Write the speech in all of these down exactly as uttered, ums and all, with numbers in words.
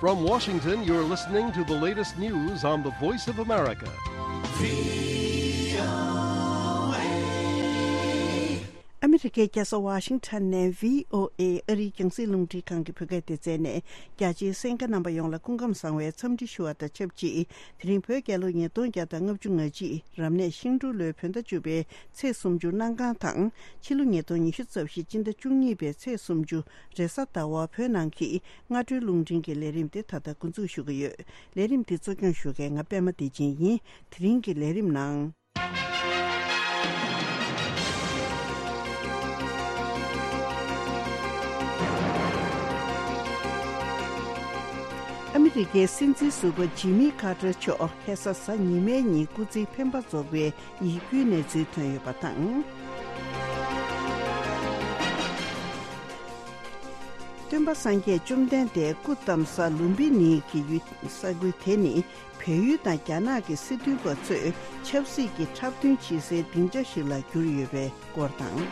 From Washington, you're listening to the latest news on the Voice of America. ཨ་མི་རི་ཀའི་རྒྱལ་ས་ཝ་ཤིང་ཊོན་ནས་བྷི་ཨོ་ཨེ་ཨ་རིའི་རྒྱང་སྲིང་རླུང་འཕྲིན་ཁང་གི་བོད་སྐད་སྡེ་ཚན་ནས། རྒྱ་ཆེའི་གསན་མཁན་རྣམ་པ་ཡོངས་ལ་སྐུ་ཁམས་བཟང་བའི་འཚམས་འདྲི་ཞུ་བ་དང་ཆབས་ཅིག་དེ་རིང་བོད་རྒྱལ་ལོ་ཉིས་སྟོང་བརྒྱ་དང་ལྔ་བཅུ་ང་གཅིག་རབ་གནས་ཤིང་འབྲུག་ལོའི་བོད་ཟླ་བཅུ་པའི་ཚེས་སུམ་ཅུ་གནམ་གང་དང་། ཕྱི་ལོ་ཉིས་སྟོང་ཉི་ཤུ་རྩ་བཞི་སྤྱི་ཟླ་བཅུ་གཉིས་པའི་ཚེས་སུམ་ཅུ་རེས་གཟའ་ཟླ་བ་བོད་ནང་གི་སྔ་དྲོའི་རླུང་འཕྲིན་གྱི་ལས་རིམ་དེ་ད་ལྟ་འགོ་འཛུགས་ཞུ་གི་ཡོད། ལས་རིམ་དེ་གཙོ་སྐྱོང་ཞུ་མཁན་ང་པད་མ་བདེ་ཆེན་ཡིན། དེ་རིང་གི་ལས་རིམ་ནང་། ཨ་མི་རི་ཀའི་སྲིད་འཛིན་ཟུར་པ་ཇི་མི་ཁ་ཏར་མཆོག་ཁ་སང་གཟའ་ཉི་མའི་ཉིན་སྐུ་ཚེའི་འཕེན་པ་རྫོགས་པའི་ཡིད་སྐྱོའི་གནས་ཚུལ་ཐོན་ཡོད་པ་དང་། སྟོན་པ་སངས་རྒྱས་བཅོམ་ལྡན་འདས་སྐུ་བལྟམས་ས་ལུམ་བི་ནི་གི་ཡུལ་ས་ཁུལ་དེ་ནི། བལ་ཡུལ་དང་རྒྱ་ནག་གི་སྲིད་དོན་པ་ཚོས་ཆབ་སྲིད་ཀྱི་འཁྲབ་སྟོན་བྱེད་སའི་སྡིངས་ཆ་ཞིག་ལ་གྱུར་ཡོད་པའི་སྐོར་དང་།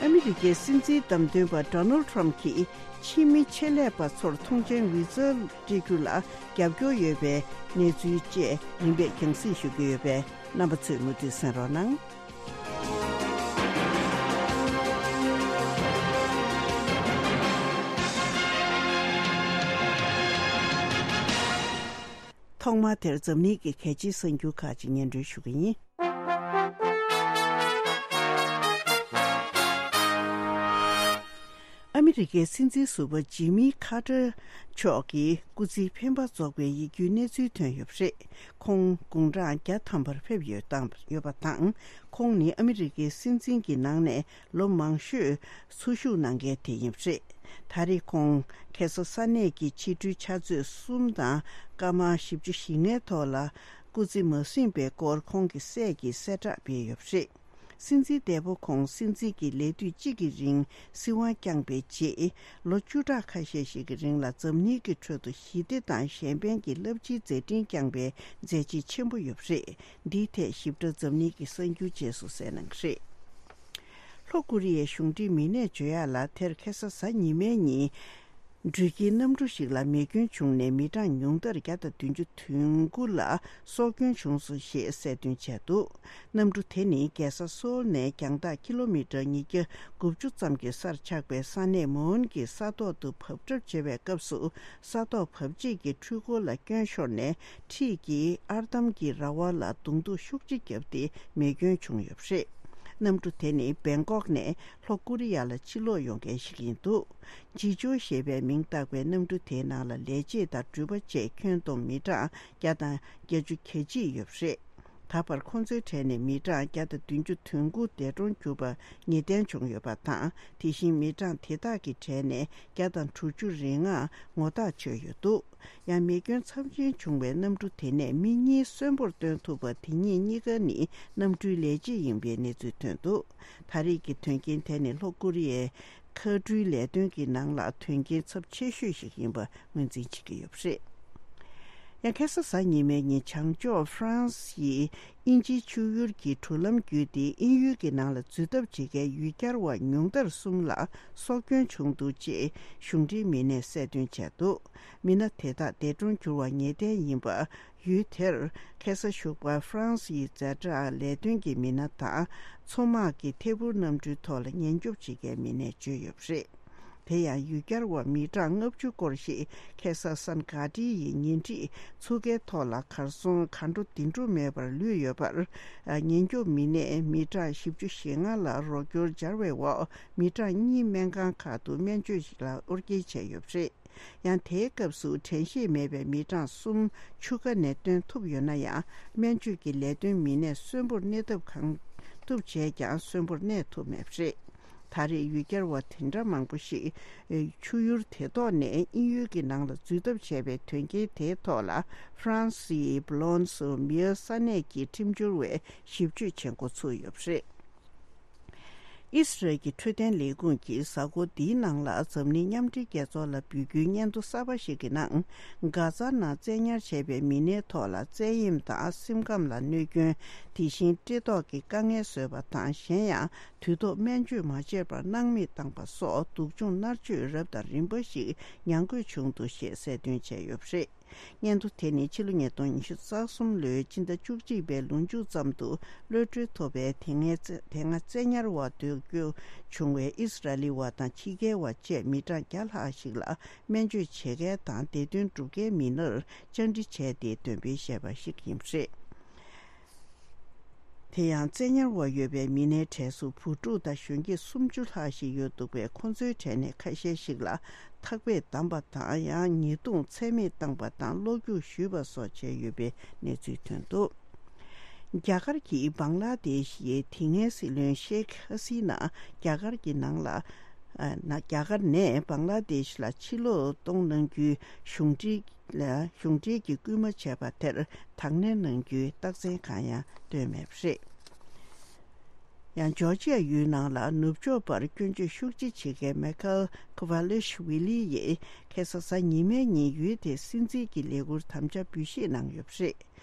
ཨ་མི་རི་ཀའི་སྲིད་འཛིན་བདམས་ཐོན་པ་ཌོ་ནལ་ཊམ་གྱིས་ཕྱི་མི་ཆེད་ལས་པ་ཚོར་ཐོངས་མཆན་བི་ཛ་སྤྲད་རྒྱུ་ལ་རྒྱབ་སྐྱོར་ཡོད་པའི་གནས་ཚུལ་བཅས་རིམ་པས་རྒྱང་སྲིང་ཞུ་གི་ཡོད་པས། རྣམ་པ་ཚོས་མུ་མཐུད་གསན་རོགས་གནང་། ཐོག་མར་དེར་འཛམ་གླིང་གི་གལ་ཆེའི་གསར་འགྱུར་ཁག་ཅིག་སྙན་སྒྲོན་ཞུ་གི་ཡིན། ཨ་མི་རི་ཀའི་སྲིད་འཛིན་ཟུར་པ་ཇི་མི་ཁ་ཏར་མཆོག་གི་སྐུ་ཚེའི་འཕེན་པ་རྫོགས་པའི་ཡིད་སྐྱོའི་གནས་ཚུལ་ཐོན་ཡོད་པ་རེད། ཁོང་དགུང་གྲངས་བརྒྱ་ཐམ་པར་ཕེབས་ཡོད་དང་ཡོད་པ་དང་། ཁོང་ནི་ཨ་མི་རི་ཀའི་སྲིད་འཛིན་གྱི་ནང་ནས་ལོ་མང་ཤོས་འཚོ་བཞུགས་གནང་མཁན་དེ་ཡིན་པ་རེད། ད་རེས་ཁོང་ཁ་སང་ས་གནས་ཀྱི་ཕྱི་དྲོའི་ཕྱག་ཚོད་གསུམ་དང་སྐར་མ་བཞི་བཅུ་ཞེ་ལྔའི་ཐོག་ལ། སྐུ་ཚེ་མ་ཟིན་པའི་སྐོར་ཁོང་གི་སྲས་ཀྱིས་གསལ་བསྒྲགས་སྤེལ་ཡོད་པ་རེད། སྲིད་འཛིན་འདས་པོ་ཁོང་སྲིད་འཛིན་གྱི་ལས་དུས་གཅིག་གི་རིང་སྲིད་དབང་བསྐྱངས་པའི་རྗེས། ལོ་བཅུ་ཕྲག་ཁ་ཤས་ཤིག་གི་རིང་ལ་འཛམ་གླིང་གི་ཁྲོད་དུ་ཞི་བདེ་དང་གཞན་ཕན་གྱི་རླབས་ཆེའི་མཛད་འཕྲིན་བསྐྱངས་པའི་མཛད་རྗེས་ཆེན་པོ་ཡོད་པ་རེད། འདིའི་ཐད་ཞིབ་ཕྲ་འཛམ་གླིང་གི་གསར་འགྱུར་རྗེས་སུ་གསན་གནང་གི་རེད། ལྷོ་ཀོ་རི་ཡའི་གཞུང་འབྲེལ་མི་སྣས་བརྗོད་ཡག་ལ། དེར་ཁ་སང་གཟའ་ཉི་མའི་ཉིན། འགྲུལ་སྐྱེལ་གནམ་གྲུ་ཞིག་ལ་མེ་སྐྱོན་བྱུང་ནས་མི་གྲངས་ཉུང་མཐར་བརྒྱ་དང་བདུན་ཅུ་དོན་དགུ་ལ་སྲོག་སྐྱོན་བྱུང་སོང་ཞེས་གསལ་སྟོན་བྱས་འདུག་གནམ་གྲུ་དེ་ནི་རྒྱལ་ས་སོའོལ་ནས་རྒྱང་ཐག་ཀི་ལོ་མི་ཊར་ཉིས་བརྒྱ་དགུ་བཅུ་ཙམ་གྱི་སར་ཆགས་པའི་ས་གནས་མོན་གྱི་ས་ཐོག་ཏུ་བབས་གྲབས་བྱེད་པའི་སྐབས་སུ། ས་ཐོག་བབས་རྗེས་ཀྱི་འཕྲུལ་འཁོར་ལ་སྐྱོན་ཤོར་ནས། འཁྲིས་ཀྱི་ཨར་འདམ་གྱི་ར་བ་ལ་རྡུང་རྡེག་ཤུགས་ཆེ་བརྒྱབ་སྟེ་མེ་སྐྱོན་བྱུང་ཡོད་པ་རེད། གནམ་གྲུ་དེ་ནི་བེང་ཀོག་ནས་ལྷོ་ཀོ་རི་ཡ་ལ་ཕྱིར་ལོག་ཡོང་མཁན་ཞིག་ཡིན་འདུག་ཇི་ཅོ་ཞེས་པའི་མིང་བཏགས་པའི་གནམ་གྲུ་དེའི་ནང་ལ་ལས་བྱེད་དང་འགྲུལ་པ་བཅས་ཁྱོན་བསྡོམས་མི་གྲངས་བརྒྱ་དང་བརྒྱད་ཅུ་གྱ་གཅིག་ཡོད་པ་རེད། ད་བར་ཁོ་ཚོའི་གྲས་ནས་མི་གྲངས་བརྒྱ་དང་བདུན་ཅུ་དོན་དགུ་འདས་གྲོངས་གྱུར་པ་ངེས་གཏན་བྱུང་ཡོད་པ་དང་། དེ་བཞིན་མི་གྲངས་དེ་དག་གི་གྲས་ནས་བརྒྱ་དང་དྲུག་ཅུ་རེ་ལྔ་ངོ་ཐག་ཆོད་ཡོད་འདུག་ཡང་མེ་སྐྱོན་ཚབས་ཆེན་བྱུང་བའི་གནམ་གྲུ་དེ་ནས་མི་གཉིས་གསོན་པོར་གཏོང་ཐུབ་པ། དེ་གཉིས་གཉིས་ཀ་ནི་གནམ་གྲུའི་ལས་བྱེད་ཡིན་པའི་གནས་ཚུལ་ཐོན་འདུག་ད་རེས་ཀྱི་དོན་རྐྱེན་དེ་ནི་ལྷོ་ཀོ་རི་ཡའི་མཁའ་འགྲུལ་ལས་དོན་གྱི་ནང་ལ་དོན་རྐྱེན་ཚབས་ཆེ་ཤོས་ཤིག་ཡིན་པ་ངོས་འཛིན་བྱེད་ཀྱི་ཡོད་པ་རེད། ཡང་ཁ་སང་གཟའ་ཉི་མའི་ཉིན་བྱང་ཕྱོགས་ཧྥ་རན་སི་ཡི་དབྱིན་ཇིའི་ཆུ་ཡུར་གྱི་གྲུ་ལམ་བརྒྱུད་དེ་དབྱིན་ཡུལ་གྱི་ནང་ལ་འཛུལ་ཐབས་བྱེད་མཁན་ཡུལ་གྱར་བ་ཉུང་མཐར་གསུམ་ལ་སྲོག་སྐྱོན་བྱུང་འདུག་ཅེས་གཞུང་འབྲེལ་མི་སྣས་གསལ་སྟོན་བྱས་འདུག་མི་སྣ་དེ་དག་འདས་གྲོངས་གྱུར་བ་ངེས་གཏན་ཡིན་པ། ཡུལ་དེར་ཁ་སང་ཞོགས་པར་ཧྥ་རན་སིའི་ཛ་དྲག་ལས་དོན་གྱི་མི་སྣ་དང་། མཚོ་དམག་གི་ཐད་འཕུར་གནམ་གྲུའི་ཐོག་ལ་ཉེན་སྐྱོབ་བྱེད་མཁན་མི་སྣས་བརྗོད་ཡོད་པ་རེད། དེ་ཡང་ཡུལ་གྱར་བ་མི་གྲངས་ལྔ་བཅུ་སྐོར་ཞིག་ཁ་སང་སན་གྷ་ཏི་ཡི་ཉེ་འཁྲིས་མཚོ་ཁའི་ཐོག་ལ་གར་སོང་གར་འགྲོ་དེ་འགྲོ་མེད་པར་ལུས་ཡོད་པར། ཉེན་སྐྱོབ་མི་སྣས་མི་གྲངས་བཞི་བཅུ་ཞེ་ལྔ་ལ་རོགས་སྐྱོར་སྦྱར་བའི་འོག་མི་གྲངས་གཉིས་སྨན་ཁང་ཁག་ཏུ་སྨན་བཅོས་ལ་དབོར་སྐྱེལ་བྱས་ཡོད་པ་རེད། ཡང་དེའི་སྐབས་སུ་དྲན་ཤེས་མེད་པའི་མི་གྲངས་གསུམ་ཆུ་ཁ་ནས་བཏོན་ཐུབ་ཡོད་ན་ཡང་། སྨན་བཅོས་ཀྱི་ལས་དོན་མི་སྣས་གསོན་པོར་གནས་ཐབས་གང་ཐུབ་བྱས་ཀྱང་གསོན་པོར་གནས་ཐུབ་མེད་པ་རེད། ད་རེས་ཡུལ་གྱར་བ་དེ་འདྲ་མང་པོ་ཞིག་ཆུ་ཡུར་དེ་ཐོག་ནས་དབྱིན་ཡུལ་གྱི་ནང་ལ་འཛུལ་ཐབས་བྱས་པའི་དོན་རྐྱེན་དེའི་ཐོག་ལ་ཧྥ་རན་སིའི་བྷོ་ལོན་སི་མིར་ས་གནས་ཀྱི་ཁྲིམས་སྦྱོར་བས་ཞིབ་དཔྱོད་བྱེད་འགོ་ཚུགས་ཡོད་པ་རེད། ཨི་སི་རལ་གྱི་འཕྲོད་བསྟེན་ལས་ཁུངས་ཀྱིས་གཟའ་འཁོར་འདིའི་ནང་ལ་འཛམ་གླིང་མཉམ་འབྲེལ་རྒྱལ་ཚོགས་ལ་འབུལ་རྒྱུའི་སྙན་ཐོ་གསར་པ་ཞིག་གི་ནང་། གྷ་ཛ་ནང་བཙན་ཉར་བྱས་པའི་མི་སྣའི་ཐོག་ལ་བཙན་གཡེམ་དང་སེམས་ཁམས་ལ་གནོད་སྐྱོན། དེ་བཞིན་བཀྲེས་ལྟོགས་ཀྱི་དཀའ་ངལ་བཟོས་པ་དང་། གཞན་ཡང་དུས་ཐོག་སྨན་བཅོས་མ་བྱས་པར་སྣང་མེད་བཏང་པ་སོགས་སྡུག་སྦྱོང་མནར་གཅོད་རབ་དང་རིམ་པ་ཞིག་མྱངས་དགོས་བྱུང་འདུག་ཞེས་གསལ་སྟོན་བྱས་ཡོད་པ་རེད། སྙན་ཐོ་དེ་ནི་ཕྱི་ལོ་ཉིས་སྟོང་ཉི་ཤུ་རྩ་གསུམ་ལོའི་སྤྱི་ཟླ་བཅུ་གཅིག་པའི་ལོ་མཇུག་ཙམ་དུ་གློད་གྲོལ་ཐོབ་པའི་དེ་སྔའི་བཙན་དེ་སྔ་བཙན་ཉར་བ་སྡོད་རྒྱུ་བྱུང་བའི་ཨི་སི་ར་ལི་བ་དང་ཕྱི་རྒྱལ་བ་བཅས་མི་གྲངས་བརྒྱ་ལྷག་ཞིག་ལ་སྨན་བཅོས་བྱེད་མཁན་དང་བདེ་དོན་སྒྲུབ་མཁན་མི་སྣར་བཅར་འདྲི་བྱས་ཏེ་འདོན་སྤེལ་བྱས་པ་ཞིག་ཡིན་པ་རེད། དེ་ཡང་བཙན་ཉར་བ་ཡོད་པའི་མི་སྣའི་གྲས་སུ་བུ་ཕྲུག་དང་གཞོན་སྐྱེས་སུམ་ཅུ་ལྷག་ཞིག་ཡོད་འདུག་པས། ཁོ་ཚོའི་གྲས་ནས་ཁ་ཤས་ཤིག་ལ་ཐག་པས་བསྡམས་པ་དང་། ཡང་ཉེས་རྡུང་ཚད་མེད་བཏང་པ་དང་། སློག་རྒྱུག་ཞུས་པ་སོགས་བྱས་ཡོད་པའི་གནས་ཚུལ་ཐོན་འདུག་རྒྱ་གར་གྱིས་བང་ལ་དེ་ཤི་ཡི་དེ་སྔའི་སྲིད་བློན་ཤེག་ཧ་སི་ན་རྒྱ་གར་གྱི་ནང་ལ། ཨ། ན། རྒྱ་གར་ནས་བང་ལ་དེ་ཤི་ལ་ཕྱིར་ལོག་གཏོང་གནང་རྒྱུའི་གཞུང་འབྲེལ། ལ་གཞུང་འབྲེལ་གྱི་སྐུལ་མ་བྱས་པ་དེར་དང་ལེན་གནང་རྒྱུའི་རྟགས་མཚན་གང་ཡང་བཏོན་མེད་པ་རེད། ཡང་ཇོར་ཇི་ཡ་ཡུལ་ནང་ལ་ནུབ་ཕྱོགས་པར་སྐྱོན་བརྗོད་ཤུགས་ཆེ་བྱེད་མཁན་མེ་ཁལ་ཁུ་ཝ་ལེ་ཤི་ཝི་ལི་ཡིས་ཁ་སང་གཟའ་ཉི་མའི་ཉིན་ཡུལ་དེའི་སྲིད་འཛིན་གྱི་ལས་ཁུར་དམ་བཅའ་འབུལ་བཞེས་གནང་ཡོད་པ་རེད།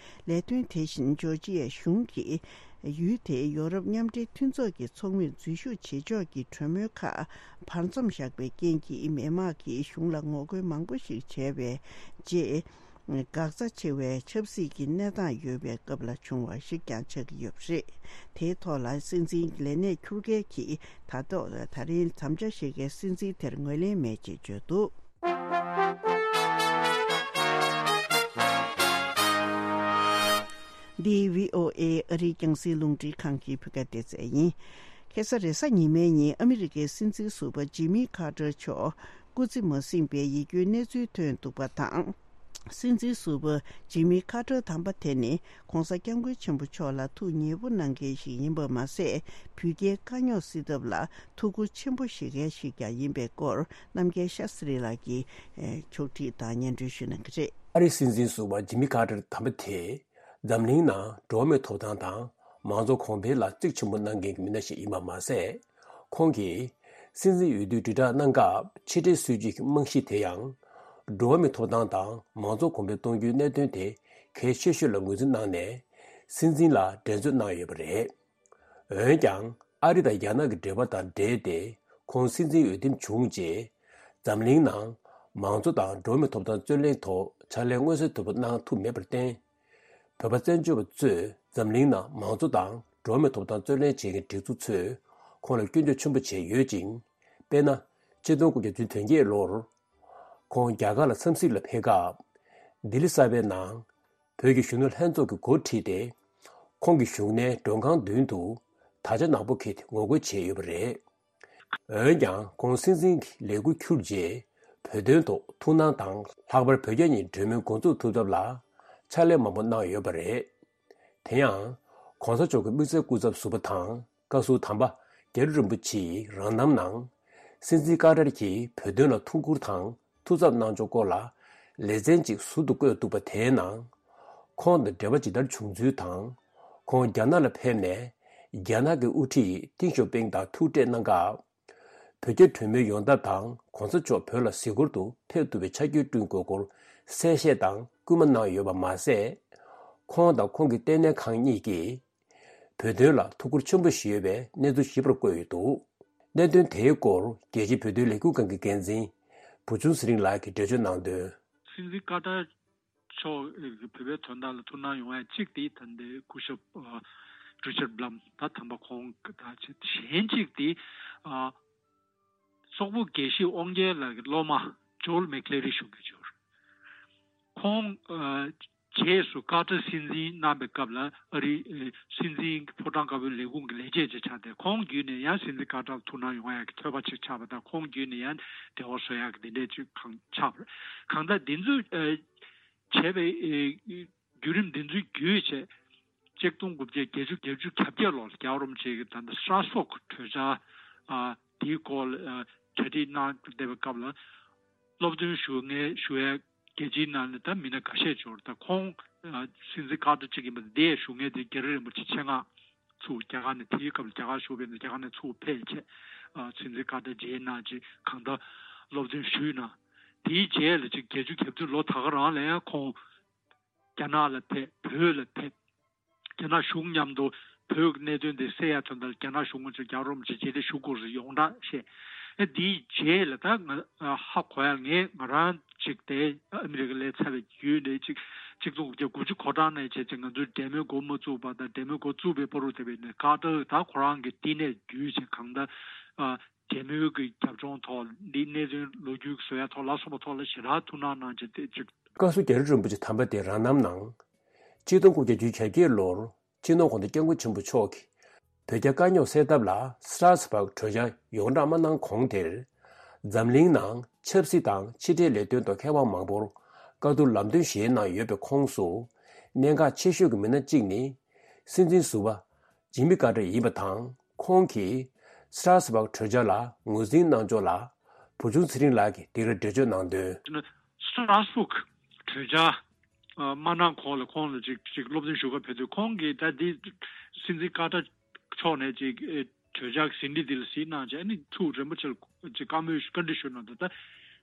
ལས་དོན་དེ་བཞིན་ཇོར་ཇི་ཡའི་གཞུང་གིས་ཡུལ་དེའི་ཡོ་རོབ་མཉམ་འབྲེལ་མཐུན་ཚོགས་ཀྱི་ཚོགས་མིར་འཛུལ་ཞུགས་བྱེད་ཕྱོགས་ཀྱི་གྲོས་མོལ་ཁག་བར་མཚམས་བཞག་པའི་རྐྱེན་གྱིས། མི་དམངས་ཀྱིས་གཞུང་ལ་ངོ་རྒོལ་མང་པོ་ཞིག་བྱས་པའི་རྗེས། འགག་རྩ་ཆེ་བའི་ཆབ་སྲིད་ཀྱི་གནས་སྟངས་ཡོད་པའི་སྐབས་ལ་བྱུང་བ་ཞིག་ཀྱང་ཆགས་ཀྱི་ཡོད་པ་རེད། དེའི་ཐོག་ལ་སྲིད་འཛིན་ལས་གནས་འཁྱུར་མཁན་གྱིས་ད་ཐོག་ད་རིང་དམ་བཅའ་བཞེས་མཁན་སྲིད་འཛིན་དེར་ངོས་ལེན་མེད་ཅེས་བརྗོད་འདུག་འདི་བྷི་ཨོ་ཨེ་ཨ་རིའི་རྒྱང་སྲིང་རླུང་འཕྲིན་ཁང་གི་བོད་སྐད་སྡེ་ཚན་ཡིན། ཁ་སང་རེས་གཟའ་ཉི་མའི་ཉིན་ཨ་མི་རི་ཀའི་སྲིད་འཛིན་ཟུར་པ་ཇི་མི་ཁ་ཏར་མཆོག་སྐུ་ཚེ་མ་ཟིན་པའི་ཡིད་སྐྱོའི་གནས་ཚུལ་ཐོན་འདུག་པ་དང་། སྲིད་འཛིན་ཟུར་པ་ཇི་མི་ཁ་ཏར་དམ་པ་དེ་ནི་༧གོང་ས་༧སྐྱབས་མགོན་ཆེན་པོ་མཆོག་ལ་ཐུགས་མཉེས་པོ་གནང་མཁན་ཞིག་ཡིན་པ་མ་ཟད། བོད་རྒྱའི་དཀའ་རྙོག་སེལ་ཐབས་ལ་ཐུགས་ཁུར་ཆེན་པོ་བཞེས་མཁན་ཞིག་ཀྱང་ཡིན་པའི་སྐོར། རྣམ་རྒྱལ་ཤཱ་སི་རི་ལགས་ཀྱིས་ཕྱོགས་བསྒྲིགས་དང་སྙན་སྒྲོན་ཞུ་གནང་གི་རེད། ཨ་རིའི་སྲིད་འཛིན་ཟུར་པ་ཇི་མི་ཁ་ཏར་དམ་པ་དེ་འཛམ་གླིང་ནང་འགྲོ་བ་མིའི་ཐོབ་ཐང་དང་མང་གཙོ་གོང་འཕེལ་ལ་གཙིགས་ཆེན་པོ་གནང་མཁན་གྱི་མི་སྣ་ཞིག་ཡིན་པ་མ་ཟད། ཁོང་གིས་སྲིད་འཛིན་འོས་བསྡུའི་དྲིལ་བསྒྲགས་གནང་སྐབས་ཕྱི་འབྲེལ་སྲིད་ཇུས་ཀྱི་རྨང་གཞི་དེ་ཡང་འགྲོ་བ་མིའི་ཐོབ་ཐང་དང་མང་གཙོ་གོང་འཕེལ་གཏོང་རྒྱུའི་གནད་དོན་དེ་གལ་ཆེ་ཤོས་ལ་ངོས་འཛིན་གནང་ནས་སྲིད་འཛིན་ལ་འགྲན་རྩོད་གནང་ཡོད་པ་རེད། འོན་ཀྱང་ཨ་རི་དང་རྒྱ་ནག་གི་འབྲེལ་བ་དང་འབྲེལ་ཏེ་ཁོང་སྲིད་འཛིན་འོས་འདེམས་བྱུང་རྗེས། འཛམ་གླིང་ནང་མང་གཙོ་དང་འགྲོ་བ་མིའི་ཐོབ་ཐང་རྩོད་ལེན་ཐོག་ཕྱག་ལས་མངོན་གསལ་དོད་པོ་གནང་ཐུབ་མེད་པར་བརྟེན། བོད་པ་བཙན་བྱོལ་བ་ཚོས་འཛམ་གླིང་ནང་མང་གཙོ་དང་འགྲོ་བ་མིའི་ཐོབ་ཐང་རྩོད་ལེན་བྱེད་མཁན་སྒྲིག་འཛུགས་ཚོས་ཁོང་ལ་སྐྱོན་བརྗོད་ཆེན་པོ་བྱས་ཡོད་ཅིང་། དཔེར་ན། ཆིག་སྟོང་དགུ་བརྒྱ་བདུན་ཅུ་དོན་བརྒྱད་ལོར། ཁོང་རྒྱ་གར་ལ་འཚམས་གཟིགས་ལ་ཕེབས་སྐབས། ལྡི་ལི་གསར་པའི་ནང་། བོད་ཀྱི་གཞོན་ནུ་ལྷན་ཚོགས་ཀྱི་འགོ་ཁྲིད་དེ། ཁོང་གི་བཞུགས་གནས་མགྲོན་ཁང་མདུན་དུ་དར་ཆ་ནག་པོ་འཁྱེར་ཏེ་ངོ་རྒོལ་བྱས་ཡོད་པ་རེད། འོན་ཀྱང་ཁོང་སྲིད་འཛིན་གྱི་ལས་འཁུར་འཁྱུར་རྗེས་བོད་དོན་ཐོག་ཐུགས་སྣང་དང་། ལྷག་པར་བོད་རྒྱ་གཉིས་གྲོས་མོལ་འགོ་འཛུགས་ཐུབ་ཐབས་ལ་ཕྱག་ལས་མང་པོ་གནང་ཡོད་པ་རེད། དེ་ཡང་། ྋགོང་ས་མཆོག་གི་དམིགས་བསལ་སྐུ་ཚབ་ཟུར་པ་དང་། བཀའ་ཟུར་དམ་པ་རྒྱ་རི་རིན་པོ་ཆེ་ཡི་རང་རྣམ་ནང་། སྲིད་འཛིན་ཀ་ཏར་གྱིས་བོད་དོན་ལ་ཐུགས་ཁུར་དང་ཐུགས་འཚབ་གནང་ཕྱོགས་སྐོར་ལ་ལེ་ཚན་གཅིག་ཟུར་དུ་བཀོད་འདུག་པ་དེའི་ནང་། ཁོང་དང་འབྲེལ་བ་ཇི་ལྟར་བྱུང་ཚུལ་དང་། ཁོང་རྒྱ་ནག་ལ་ཕེབས་ནས་རྒྱ་ནག་གི་དབུ་ཁྲིད་ཏིང་ཞའོ་ཕིང་དང་ཐུག་འཕྲད་གནང་སྐབས། བོད་རྒྱ་གྲོས་མོལ་ཡོང་ཐབས་དང་ྋགོང་ས་མཆོག་བོད་ལ་གཟིགས་སྐོར་དུ་ཕེབས་ཐུབ་པའི་ཆ་རྐྱེན་བསྐྲུན་དགོས་སྐོར་གསལ་བཤད་དང་སྐུལ་མ་གནང་ཡོད་པ་མ་ཟད། ཁོང་དང་ཁོང་གི་ལྟེ་གནས་ཁང་གཉིས་ཀྱིས། བོད་དོན་ལ་ཐུགས་ཁུར་ཆེན་པོ་ཞིག་ཡོད་པའི་གནས་ཚུལ་ཞིབ་པར་བཀོད་ཡོད་འདུག་གནད་དོན་དེའི་སྐོར་རྒྱལ་སྤྱིའི་བོད་དོན་ལས་འགུལ་ཁང་གི་འགན་འཛིན་བུ་ཆུང་ཚེ་རིང་ལགས་ཀྱིས་འགྲེལ་བརྗོད་གནང་དོན། སྲིད་འཛིན་ཀ་ཏར་མཆོག་གིས་བོད་པའི་དོན་དག་ལ་ཐུགས་སྣང་ཡོང་ཡ་གཅིག་དེ་ད་ལྟའི་སྐུ་ཞབས་རི་ཆར་བྷ་ལམ་ད་དམ་པ་ཁོང་ད་གཞན་གཅིག་དེ། སོག་པོ་དགེ་བཤེས་དབང་རྒྱལ་ལགས་ཀྱི་སློབ་མ་ཇོལ་མེག་ལེ་རི་ཞུ་གི་ཡོད། ཁོང་རྗེས་སུ་ཀ་ཏར་སྲིད་འཛིན་གནང་པའི་སྐབས་ལ་ཨ་རིའི་སྲིད་འཛིན་ཕོ་བྲང་དཀར་པོའི་ལས་ཁུངས་ཀྱི་ལས་བྱེད་ཅིག་ཆགས་ཏེ། ཁོང་བརྒྱུད་ནས་ཡང་སྲིད་འཛིན་ཀ་ཏར་ལ་ཐུགས་སྣང་ཡོང་ཡག་གི་ཐོས་པ་ཅིག་ཆགས་པ་དང་། ཁོང་བརྒྱུད་ནས་ཡང་འབྲེལ་བ་བཟོ་ཡག་གི་འདི་འདྲས་ཅིག་གང་ཆགས་པ་རེད། གང་ལྟར་འདི་ཚོ་བྱས་པའི་བརྒྱུད་རིམ་འདི་ཚོའི་བརྒྱུད་བྱས། ཆིག་སྟོང་དགུ་བརྒྱ་བརྒྱད་ཅུ་གྱ་བརྒྱད་ལོར་རྒྱལ་བ་རིན་པོ་ཆེ་གིས་ད་ལྟ་སྲ་སོག་གྲོས་འཆར་དེའི་སྐོར་ལ་གྲ་སྒྲིག་གནང་བསྡད་པའི་སྐབས་ལ། སློབ་སྟོན་ཞུ་མཁན་ཞུ་ཡས་རྒྱལ་སྤྱིའི་ནང་ནས་ད་མི་སྣ་འགའ་ཤས་ཡོད་རེད། ད་ཁོང་སྲིད་འཛིན་ཀ་ཏར་གཅིག་ཡིན་པ་དེ་ཞུ་མཁན་དེ་རྒྱ་རི་རིན་པོ་ཆེ་ཆེད་མངགས་ ཚུར་རྒྱ་གར་ནས་དེའི་སྐབས་ལ་རྒྱ་གར་བཞུགས་པའི་རྒྱ་གར་ནས་ཚུར་ཕེབས་བྱས། ཨ་སྲིད་འཛིན་ཀར་ཏར་མཇལ་གནང་བྱས་གང་ལྟར་སློབ་སྟོན་ཞུས་གནང་། དེའི་རྗེས་ལ་ཅིག་བརྒྱད་ཅུ་གྱ་བདུན་ལོ་ད་ག་རང་ལ་ཡང་ཁོང་རྒྱ་ནག་ལ་ཕེབས། བོད་ལ་ཕེབས། རྒྱ་ནག་གཞུང་མཉམ་དུ་བོད་ཀྱི་གནད་དོན་དེ་སེལ་ཡ་དོན་དག་ལ་རྒྱ་ནག་གཞུང་ངོས་ནས་རྒྱལ་བ་རིན་པོ་ཆེ་མཇལ་འཕྲད་ཞུ་དགོས་ཟེར་ཡོངས་གྲགས་བཤད། ཨེ་དེའི་རྗེས་ལ་ད་ང་ཧ་གོ་ཡ། ངས་ང་རང་ཅིག་དེ་ཨ་མི་རི་ཀ་སླེབས་ཚར་བའི་རྒྱུན་ནས་ཅིག་གཅིག་སྟོང་དགུ་བརྒྱ་དགུ་བཅུ་གོ་གྲངས་ནས་བྱས་ཙང་ང་ཚོའི་འབྲེལ་མོལ་འགོ་མ་བཙུགས་པ་དང་འབྲེལ་མོལ་འགོ་བཙུགས་པའི་བར་དུ་དེ་བས་ནས་ཀར་ཏར་ད་ཁོ་རང་གི་བསྟི་གནས་བརྒྱུད་བྱས་གང་ལྟར་ཨ་འབྲེལ་མོལ་གྱི་རྒྱབ་ལྗོངས་ཐོག་འདི་གནས་ཚུལ་ལོ་རྒྱུས་བཟོ་ཡ་ཐོག་ལ་སོགས་པ་ཐོག་ལ་ཞེ་དྲག་ཐུགས་སྣང་གནང་བྱས་ཏེ་ཅིག་བཀའ་ཟུར་རྒྱ་རི་རིན་པོ་ཆེ་དམ་པ་དེ་རང་རྣམ་ནང་། ཆིག་སྟོང་དགུ་བརྒྱ་བརྒྱད་ཅུ་གྱ་བརྒྱད་ལོར་སྤྱི་ནོར་༧གོང་ས་༧སྐྱབས་མགོན་ཆེན་པོ་མཆོག་གིས་བོད་རྒྱ་དཀའ་རྙོག་སེལ་ཐབས་ལ་སི་ཊ་སི་བྷག་གྲོས་འཆར་ཡོངས་བསྒྲགས་མ་གནང་གོང་དེར། འཛམ་གླིང་ནང་ཆབ་སྲིད་དང་ཕྱི་འབྲེལ་ལས་དོན་དུ་མཁས་དབང་མང་པོར་བཀའ་བསྡུར་ལམ་སྟོན་བཞེས་གནང་ཡོད་པའི་ཁོངས་སུ། གནད་འགག་ཆེ་ཤོས་ཀྱི་མི་སྣ་གཅིག་ནི། སྲིད་འཛིན་ཟུར་པ་ཇི་མི་ཀར་ཏར་ཡིན་པ་དང་། ཁོང་གིས་སི་ཊ་སི་བྷག་གྲོས་འཆར་ལ་ངོས་འཛིན་གནང་ཕྱོགས་ལ། བུ་ཆུང་ཚེ་རིང་ལགས་ཀྱིས་འདི་གར་འགྲེལ་བརྗོད་གནང་དོན། སི་ཊ་སི་བྷག་གྲོས་འཆར་མ་གནང་གོང་ལ་ཁོང་ལ་ཅིག་ཅིག་སློབ་སྟོན་ཞུ་ག་ཕེབས་དུས། ཁོང་གིས་ད་འདི་སྲིད་འཛིན་ཀར་ཏར་མཆོག་ནས་ཅིག་གྲོས་འཆར་ཟིན་བྲིས་འདི་ལ་གཟིགས་གནང་བྱས་ནས་ཐུགས་རིན་པོ་ཆེ་ལ་ཅིག་བཀའ་མོལ་བཀའ་འདྲི་ཞུ་གནང་འདུག་ད་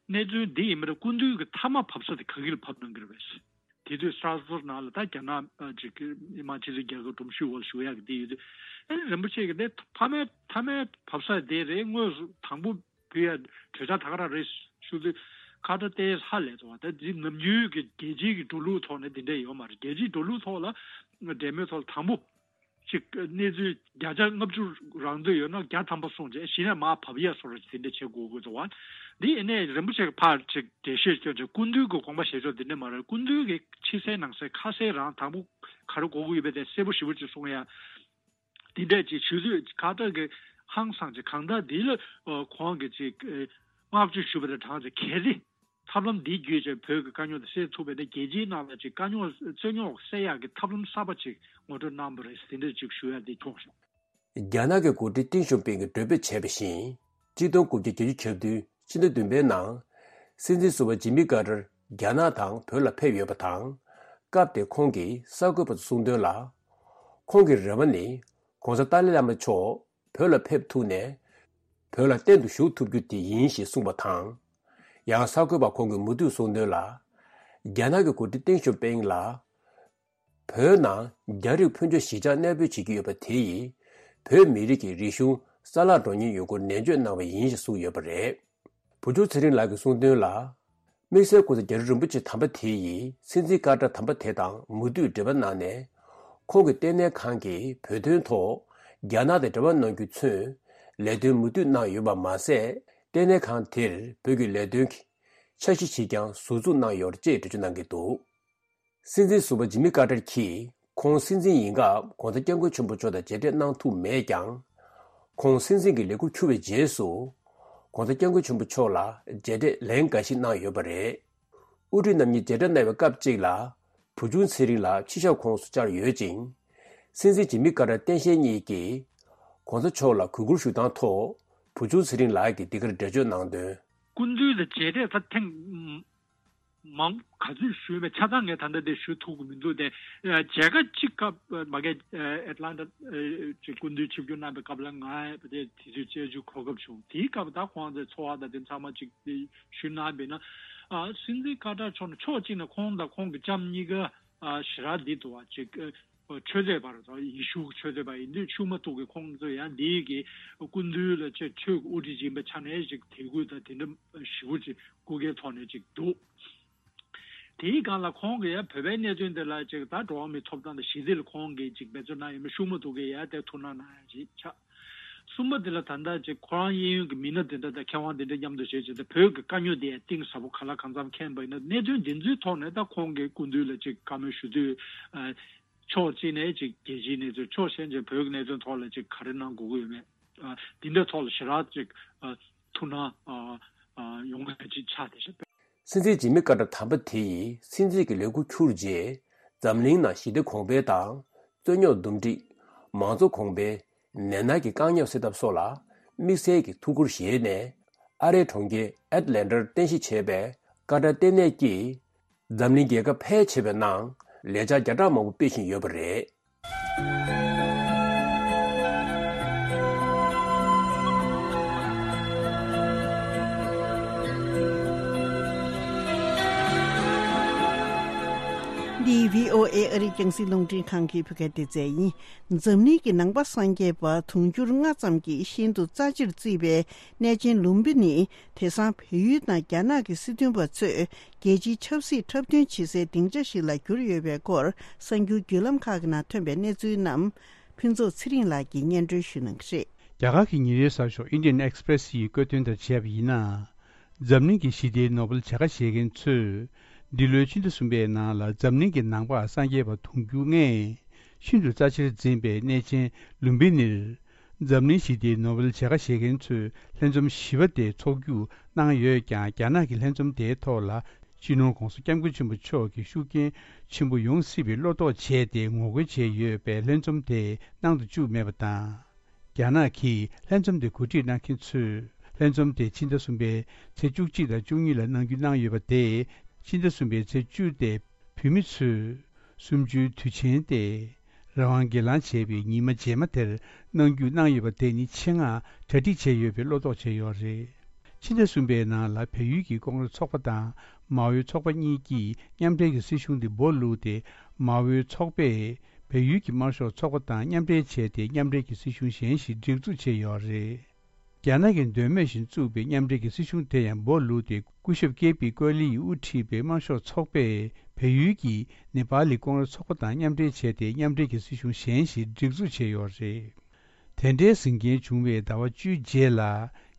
གནས་ཚུལ་འདི་ཡིན་པ་རེད། སྐུ་མདུན་གྱི་མཐའ་མ་བབས་ས་དེ་ག་གི་ལ་བབས་གནང་གི་རེད་པས། དེ་དུས་སི་ཊ་སི་བྷག་ནང་ལ་ད་རྒྱ་ནག་ཅིག་མི་དམངས་སྤྱི་མཐུན་རྒྱལ་ཁབ་སྒྲོམ་གཞི་འོག་ལ་བཞུགས་ཡག་གི་དེ་ཡོད་དུས། ཨེ་རིན་པོ་ཆེ་གི་དེ་མཐའ་མའི་མཐའ་མའི་བབས་ས་དེ་རེད། དངོས་སུ་དང་པོ་ཕུལ་ཡ་གྲོས་འཆར་ད་ག་རང་རེད་ཞུ་དུས། ཀར་ཏར་ཏོག་ཙམ་ཧ་ལས་སོང་བ། ད་འདི་ནམ་རྒྱུན་གྱི་རྒྱལ་སྤྱིའི་གི་འགྲོ་ལུགས་ཐོག་ནས་དེ་འདྲ་ཡོད་མ་རེད། རྒྱལ་སྤྱིའི་འགྲོ་ལུགས་ཐོག་ལ་འབྲེལ་མོལ་ཐོག་ལ་དང་པོ་ཅིག་གནས་ཚུལ་བརྒྱ་ཆ་ལྔ་བཅུ་རང་འདོད་ཡོད་ན་བརྒྱ་ཐམ་པ་སོང་རྗེས་གཞི་ནས་མར་བབས་ཡ་བཟོ་འདྲ་ཅིག་དེ་འདྲ་བྱེད་དགོས་དགོས་འདུག་བ། འདི་ཡིན་ནའི་རིན་པོ་ཆེ་གི་ཕར་ཅིག་འགྲེལ་བཤད་སྐྱོན་ཅིག་སྐུ་མདུན་གྱི་དགོངས་པ་བཞེས་ཕྱོགས་འདི་འདྲ་མ་རེད། སྐུ་མདུན་གྱི་ཕྱི་གསལ་ནང་གསལ་ཁ་གསལ་རང་དང་པོ་ག་རེ་དགོས་ཀྱི་ཡོད་པ་དེ་གསལ་པོ་ཞེ་པོ་ཅིག་གསུང་ཡ། དེ་འདྲ་ཅིག་ཞུ་དུས་ཀར་ཏར་གྱིས་ཧང་སངས་ཅིག་གང་ལྟར་འདི་ལ་ཁོང་གིས་ཅིག་བསྔགས་བརྗོད་ཞུ་བ་དང་གྲངས་ཅིག་གལ་ཏེ་ཐབས་ལམ་འདི་བརྒྱུད་བྱས་བོད་ཀྱི་དཀའ་རྙོག་དེ་སེལ་ཐུབ་པ་ཡིན་ན་རྒྱལ་སྤྱིའི་ནང་ལ་ཅིག་དཀའ་རྙོག་རྩོད་རྙོག་སེལ་ཡག་གི་ཐབས་ལམ་གསར་པ་ཅིག་ངོ་སྤྲོད་གནང་བ་རེད། དེ་འདྲ་ཅིག་ཞུ་ཡ་འདི་ཐོག་རེད། རྒྱ་ནག་གི་འགོ་ཁྲིད་ཏིང་ཞོ་ཕིང་གིས་གྲོས་འབུལ་བྱས་པ་བཞིན། གཅིག་སྟོང་དགུ་བརྒྱ་བརྒྱད་ཅུ་གྱ་བདུན་ཕྱི་ཟླ་བདུན་པའི་ནང་། སྲིད་འཛིན་ཟུར་པ་ཇི་མི་ཀར་ཏར་རྒྱ་ནག་དང་བོད་ལ་ཕེབས་ཡོད་པ་དང་། སྐབས་དེར་ཁོང་གིས་གསར་འགོད་པ་ཚོར་གསུངས་དོན་ལ། ཁོང་གི་རེ་བ་ནི། ༸གོང་ས་ཏཱ་ལའི་བླ་མ་མཆོག་བོད་ལ་ཕེབས་ཐུབ་ནས། བོད་ལ་གཏན་དུ་བཞུགས་ཐུབ་རྒྱུ་དེ་ཡིན་ཞེས་གསུངས་པ་དང་། ཡང་གསར་འགོད་པ་ཁོང་གིས་མུ་མཐུད་གསུངས་དོན་ལ། རྒྱ་ནག་གི་འགོ་ཁྲིད་ཏེང་ཞའོ་ཕིང་ལ། བོད་ནང་རྒྱ་རིགས་ཕོན་ཆེ་གཞིས་ཆགས་གནས་སྤོས་བྱེད་ཀྱི་ཡོད་པ་དེ་ཡིས། བོད་མི་རིགས་ཀྱི་རིག་གཞུང་གསར་བརླག་འགྲོ་ཉེན་ཡོད་སྐོར་ནན་བརྗོད་གནང་བ་ཡིན་ཞེས་གསུངས་ཡོད་པ་རེད། བུ་ཆུང་ཚེ་རིང་ལགས་ཀྱིས་གསུངས་དོན་ལ། དམིགས་བསལ་༸གོང་ས་རྒྱ་རི་རིན་པོ་ཆེ་དམ་པ་དེ་ཡིས་སྲིད་འཛིན་ཀར་ཏར་དམ་པ་དེ་དང་མུ་མཐུད་འབྲེལ་བ་གནང་ནས། ཁོང་གི་ལྟེ་གནས་ཁང་གིས་བོད་དོན་ཐོག་རྒྱ་ནག་དང་འབྲེལ་བ་གནང་རྒྱུ་མཚོན། ལས་དོན་མུ་མཐུད་གནང་ཡོད་པ་མ་ཟད། ལྟེ་གནས་ཁང་དེར་བོད་ཀྱི་ལས་དོན་གྱི་འཆར་གཞི་ཞིག་ཀྱང་ཟུར་འཛུགས་གནང་ཡོད་ཅེས་འགྲེལ་བརྗོད་གནང་གི་འདུག། སྲིད་འཛིན་ཟུར་པ་ཇི་མི་ཀར་ཏར་གྱིས་ཁོང་སྲིད་འཛིན་ཡིན་སྐབས་༸གོང་ས་༸སྐྱབས་མགོན་ཆེན་པོ་མཆོག་དང་མཇལ་འཕྲད་གནང་ཐུབ་མེད་ཀྱང་། ཁོང་སྲིད་འཛིན་གྱི་ལས་འཁུར་འཁྱུར་བའི་རྗེས་སུ། ༸གོང་ས་༸སྐྱབས་མགོན་ཆེན་པོ་མཆོག་ལ་མཇལ་འཕྲད་ལན་འགའ་ཞིག་གནང་ཡོད་པ་རེད། དབུ་ཁྲིད་རྣམ་གཉིས་མཇལ་འཕྲད་གནང་བའི་སྐབས་གཅིག་ལ། བུ་ཆུང་ཚེ་རིང་ལགས་ཕྱི་ཞབས་ཁོངས་སུ་བཅར་ཡོད་ཅིང་། སྲིད་འཛིན་ཇི་མི་ཀར་ཏར་སྟངས་དཔྱལ་གཉིས་ཀྱིས། ༸གོང་ས་མཆོག་ལ་གུས་བཀུར་ཞུ་སྟངས་ཐོག་བུ་ཆུང་ཚེ་རིང་ལགས་ཀྱིས་འདི་གར་འགྲེལ་བརྗོད་གནང་དོན། སྐུ་མདུན་ལ་མཇལ་འཕྲད་ད་ཐེངས་མང་ག་ཚོད་ཞུས་པས་ཆ་ཚང་ངས་ད་ལྟ་དེ་ཞུ་ཐུབ་ཀྱི་མི་འདུག་སྟེ། མཇལ་ཁ་གཅིག་སྐབས་མ་གི་ཨེ་ཊ་ལན་ཊ་ཅིག་སྐུ་མདུན་ཆིབས་བསྒྱུར་གནང་པའི་སྐབས་ལ་ང་དེ་དུས་བཅར་རྒྱུ་གོ་སྐབས་བྱུང་། དེའི་སྐབས་ད་ཁོང་ཚོའི་འཚོ་བ་དང་དེ་ཚང་མ་ཅིག་ཞུས་གནང་བས་ན། སྲིད་འཛིན་ཀར་ཏར་མཆོག་ནས་ཕྱོགས་གཅིག་ནས་ཁོང་དང་ཁོང་གི་ལྕམ་གཉིས་ཀ་ཞེ་དྲག་འདི་འདུག་བ་ཅིག་ཆོས་དད་པ་རེད། ཡེ་ཤུ་གི་ཆོས་དད་པ་ཡིན་དུས་ཤུགས་མ་ཐུག་གི་ཁོང་ཚོ་ཡང་འདིའི་གི་སྐུ་མདུན་ལ་ཆེས་ཆོས་ཀྱི་དབུ་ཁྲིད་ཅིག་ཡིན་པའི་ཆ་ནས་ཅིག་དད་གུས་དང་དེ་འདྲ་ཞེ་པོ་ཅིག་སྐུ་སྒེར་ཐོག་ནས་ཅིག་འདུག། དེའི་སྒང་ལ་ཁོང་གིས་ཡང་བོད་པའི་གནད་དོན་དེ་ལ་ཅིག་ད་འགྲོ་བ་མིའི་ཐོབ་ཐང་དང་ཞི་བདེ་ལ་ཁོང་གིས་ཅིག་འབད་བརྩོན་གནང་ཡོད་མེད་ཤུགས་མ་ཐུག་གི་ཡང་དེ་ཐུགས་སྣང་གནང་ཡ་ཅིག་ཆགས། གསུམ་པ་དེ་ལ་ད་ལྟ་ཅིག་ཁོ་རང་གཡས་གཡོན་གྱི་མི་སྣ་དེ་འདྲ་དང་མཁས་དབང་དེ་འདྲ་མཉམ་དུ་བྱས་བྱས་ཏེ་བོད་ཀྱི་དཀའ་རྙོག་དེ་ཡང་གཏིང་ཟབ་པོ་ག་ལ་གང་འཚམ་མཁྱེན་པ་ཡིན་ན། གནད་དོན་འདི་ཚོའི་ཐོག་ནས་ད་ཁོང་གིས་སྐུ་མདུན་ལ་ཅིག་བཀའ་མོལ་ཞུ་དུས། ཕྱོགས་གཅིག་ནས་ཅིག་རྒྱལ་སྤྱིའི་གནས་ཚུལ། ཕྱོགས་གཞན་ཅིག་བོད་ཀྱི་གནད་དོན་ཐོག་ལ་ཅིག་ག་རེ་གནང་དགོས་ཀྱི་ཡོད་མེད། འདི་འདྲའི་ཐོག་ལ་ཞེ་དྲག་ཅིག་ཐུགས་སྣང་ཡོང་མཁན་ཅིག་ཆགས་བསྡད་ཤག། སྲིད་འཛིན་ཇི་མི་ཀར་ཏར་དམ་པ་དེ་ཡིས་སྲིད་འཛིན་གྱི་ལས་འཁུར་འཁྱུར་རྗེས། འཛམ་གླིང་ནང་ཞི་བདེ་གོང་འཕེལ་དང་། རྩོད་རྙོག་འདུམ་འགྲིག། མང་གཙོ་གོང་འཕེལ། ནད་མནར་གྱི་དཀའ་རྙོག་སེལ་ཐབས་སོགས་ལ་དམིགས་བསལ་གྱི་ཐུགས་ཁུར་བཞེས་ནས། ཨ་རིའི་གྲོང་ཁྱེར་ཨེཊ་ལན་ཊར་རྟེན་གཞི་བྱས་པའི་ཀར་ཏར་ལྟེ་གནས་ཀྱིས། འཛམ་གླིང་རྒྱལ་ཁབ་ཕལ་ཆེ་བའི་ནང་ལས་འཆར་བརྒྱ་ཕྲག་མང་པོ་སྤེལ་བཞིན་ཡོད་པ་རེད། ཨོ་ཨེ་ཨ་རིའི་རྒྱང་སྲིང་རླུང་འཕྲིན་ཁང་གི་བོད་སྐད་སྡེ་ཚན་ཡིན། འཛམ་གླིང་གི་ནང་པ་སངས་རྒྱས་པ་དུང་ཕྱུར་ལྔ་ཙམ་གྱིས་ཤིན་ཏུ་རྩ་ཆེར་བརྩིས་པའི་གནས་ཆེན་ལུམ་བི་ནི་དེང་སང་བལ་ཡུལ་དང་རྒྱ་ནག་གི་སྲིད་དོན་པ་ཚོས་རྒྱལ་སྤྱིའི་ཆབ་སྲིད་འཁྲབ་སྟོན་བྱེད་སའི་སྡིངས་ཆ་ཞིག་ལ་གྱུར་ཡོད་པའི་སྐོར་གསར་འགྱུར་བརྒྱུད་ལམ་ཁག་གི་ནང་ཐོན་པའི་གནས་ཚུལ་རྣམས་ཕུན་ཚོགས་ཚེ་རིང་ལགས་ཀྱིས་སྙན་སྒྲོན་ཞུ་གནང་གི་རེད། རྒྱ་གར་གྱི་ཉིན་རེའི་གསར་ཤོག་Indian Express་ཡིས་བཀོད་དོན་ལྟར་བྱས་པ་ཡིན་ན། འཛམ་གླིང་གི་ཞི་བདེའི་ནོ་བེལ་བྱ་དགའ་བཞེས་མཁན་ཚོས། འདི་ལོའི་ཕྱི་ཟླ་གསུམ་པའི་ནང་ལ་འཛམ་གླིང་གི་ནང་པ་སངས་རྒྱས་པ་དུང་ཕྱུར་ལྔས་ཤིན་ཏུ་རྩ་ཆེར་འཛིན་པའི་གནས་ཆེན་ལུམ་བི་ནིར། འཛམ་གླིང་ཞི་བདེའི་ནོ་བེལ་བྱ་དགའ་བཞེས་མཁན་ཚོས་ལྷན་འཛོམས་བཞི་པ་དེ་འཚོགས་རྒྱུ་གནང་ཡོད་ཀྱང་། རྒྱ་ནག་གི་ལྷན་འཛོམས་དེའི་ཐོག་ལ་སྤྱི་ནོར་༧གོང་ས་༧སྐྱབས་མགོན་ཆེན་པོ་མཆོག་གི་ཤུགས་རྐྱེན་ཆེན་པོ་ཡོང་སྲིད་པའི་བློ་དོགས་བྱས་ཏེ་ངོ་རྒོལ་བྱས་ཡོད་པས། ལྷན་འཛོམས་དེ་གནང་དུ་བཅུག་མེད་པ་དང་། རྒྱ་ནག་གིས་ལྷན་འཛོམས་དེ་གོ་སྒྲིག་གནང་མཁན་ཚོས་ལྷན་འཛོམས་དེ་ཕྱི་ཟླ་གསུམ་པའི་ཚེས་བཅུ་གཅིག་དང་བཅུ་གཉིས་ལ་གནང་རྒྱུ་གནང་ཡོད་པ་དེས། ཕྱི་ཟླ་གསུམ་པའི་ཚེས་བཅུ་དེ་བོད་མི་ཚོས་གསུམ་བཅུའི་དུས་ཆེན་ཏེ། རང་དབང་སྒེར་ལངས་བྱས་པའི་ཉི་མ་རྗེས་མ་དེར་གནང་རྒྱུ་གནང་ཡོད་པ་དེ་ནི་ཆེད་མངགས་གྲ་སྒྲིག་བྱས་ཡོད་པའི་བློ་དོགས་བྱས་ཡོད་རེད། ཕྱི་ཟླ་གསུམ་པའི་ནང་ལ་བལ་ཡུལ་གྱི་ཀོང་རེས་ཚོགས་པ་དང་མའོའི་ཚོགས་པ་གཉིས་ཀྱིས་མཉམ་འབྲེལ་གྱི་སྲིད་གཞུང་དེ་འབོ་བླུགས་ཏེ། མའོའི་ཚོགས་པས་བལ་ཡུལ་གྱི་དམར་ཤོག་ཚོགས་པ་དང་མཉམ་འབྲེལ་བྱས་ཏེ། མཉམ་འབྲེལ་གྱི་སྲིད་གཞུང་གཞན་ཞིག་སྒྲིག་འཛུགས་བྱས་ཡོད་རེད། རྒྱ་ནག་གི་འདོད་མོས་བཞིན་བཙུགས་པའི་མཉམ་འབྲེལ་གྱི་སྲིད་གཞུང་དེ་ཡང་འབོ་བླུགས་ཏེ། སྐུ་ཞབས་ཀེ་པི་ཀོ་ལི་ཡིས་དབུ་ཁྲིད་པའི་དམར་ཤོག་ཚོགས་པས་བལ་ཡུལ་གྱི་ནེ་པ་ལི་ཀོང་རེས་ཚོགས་པ་དང་མཉམ་འབྲེལ་བྱས་ཏེ། མཉམ་འབྲེལ་གྱི་སྲིད་གཞུང་གཞན་ཞིག་སྒྲིག་འཛུགས་བྱས་ཡོད་རེད། དེ་འདྲའི་ཟིང་རྐྱེན་བྱུང་བའི་ཟླ་བ་བཅུའི་རྗེས་ལ།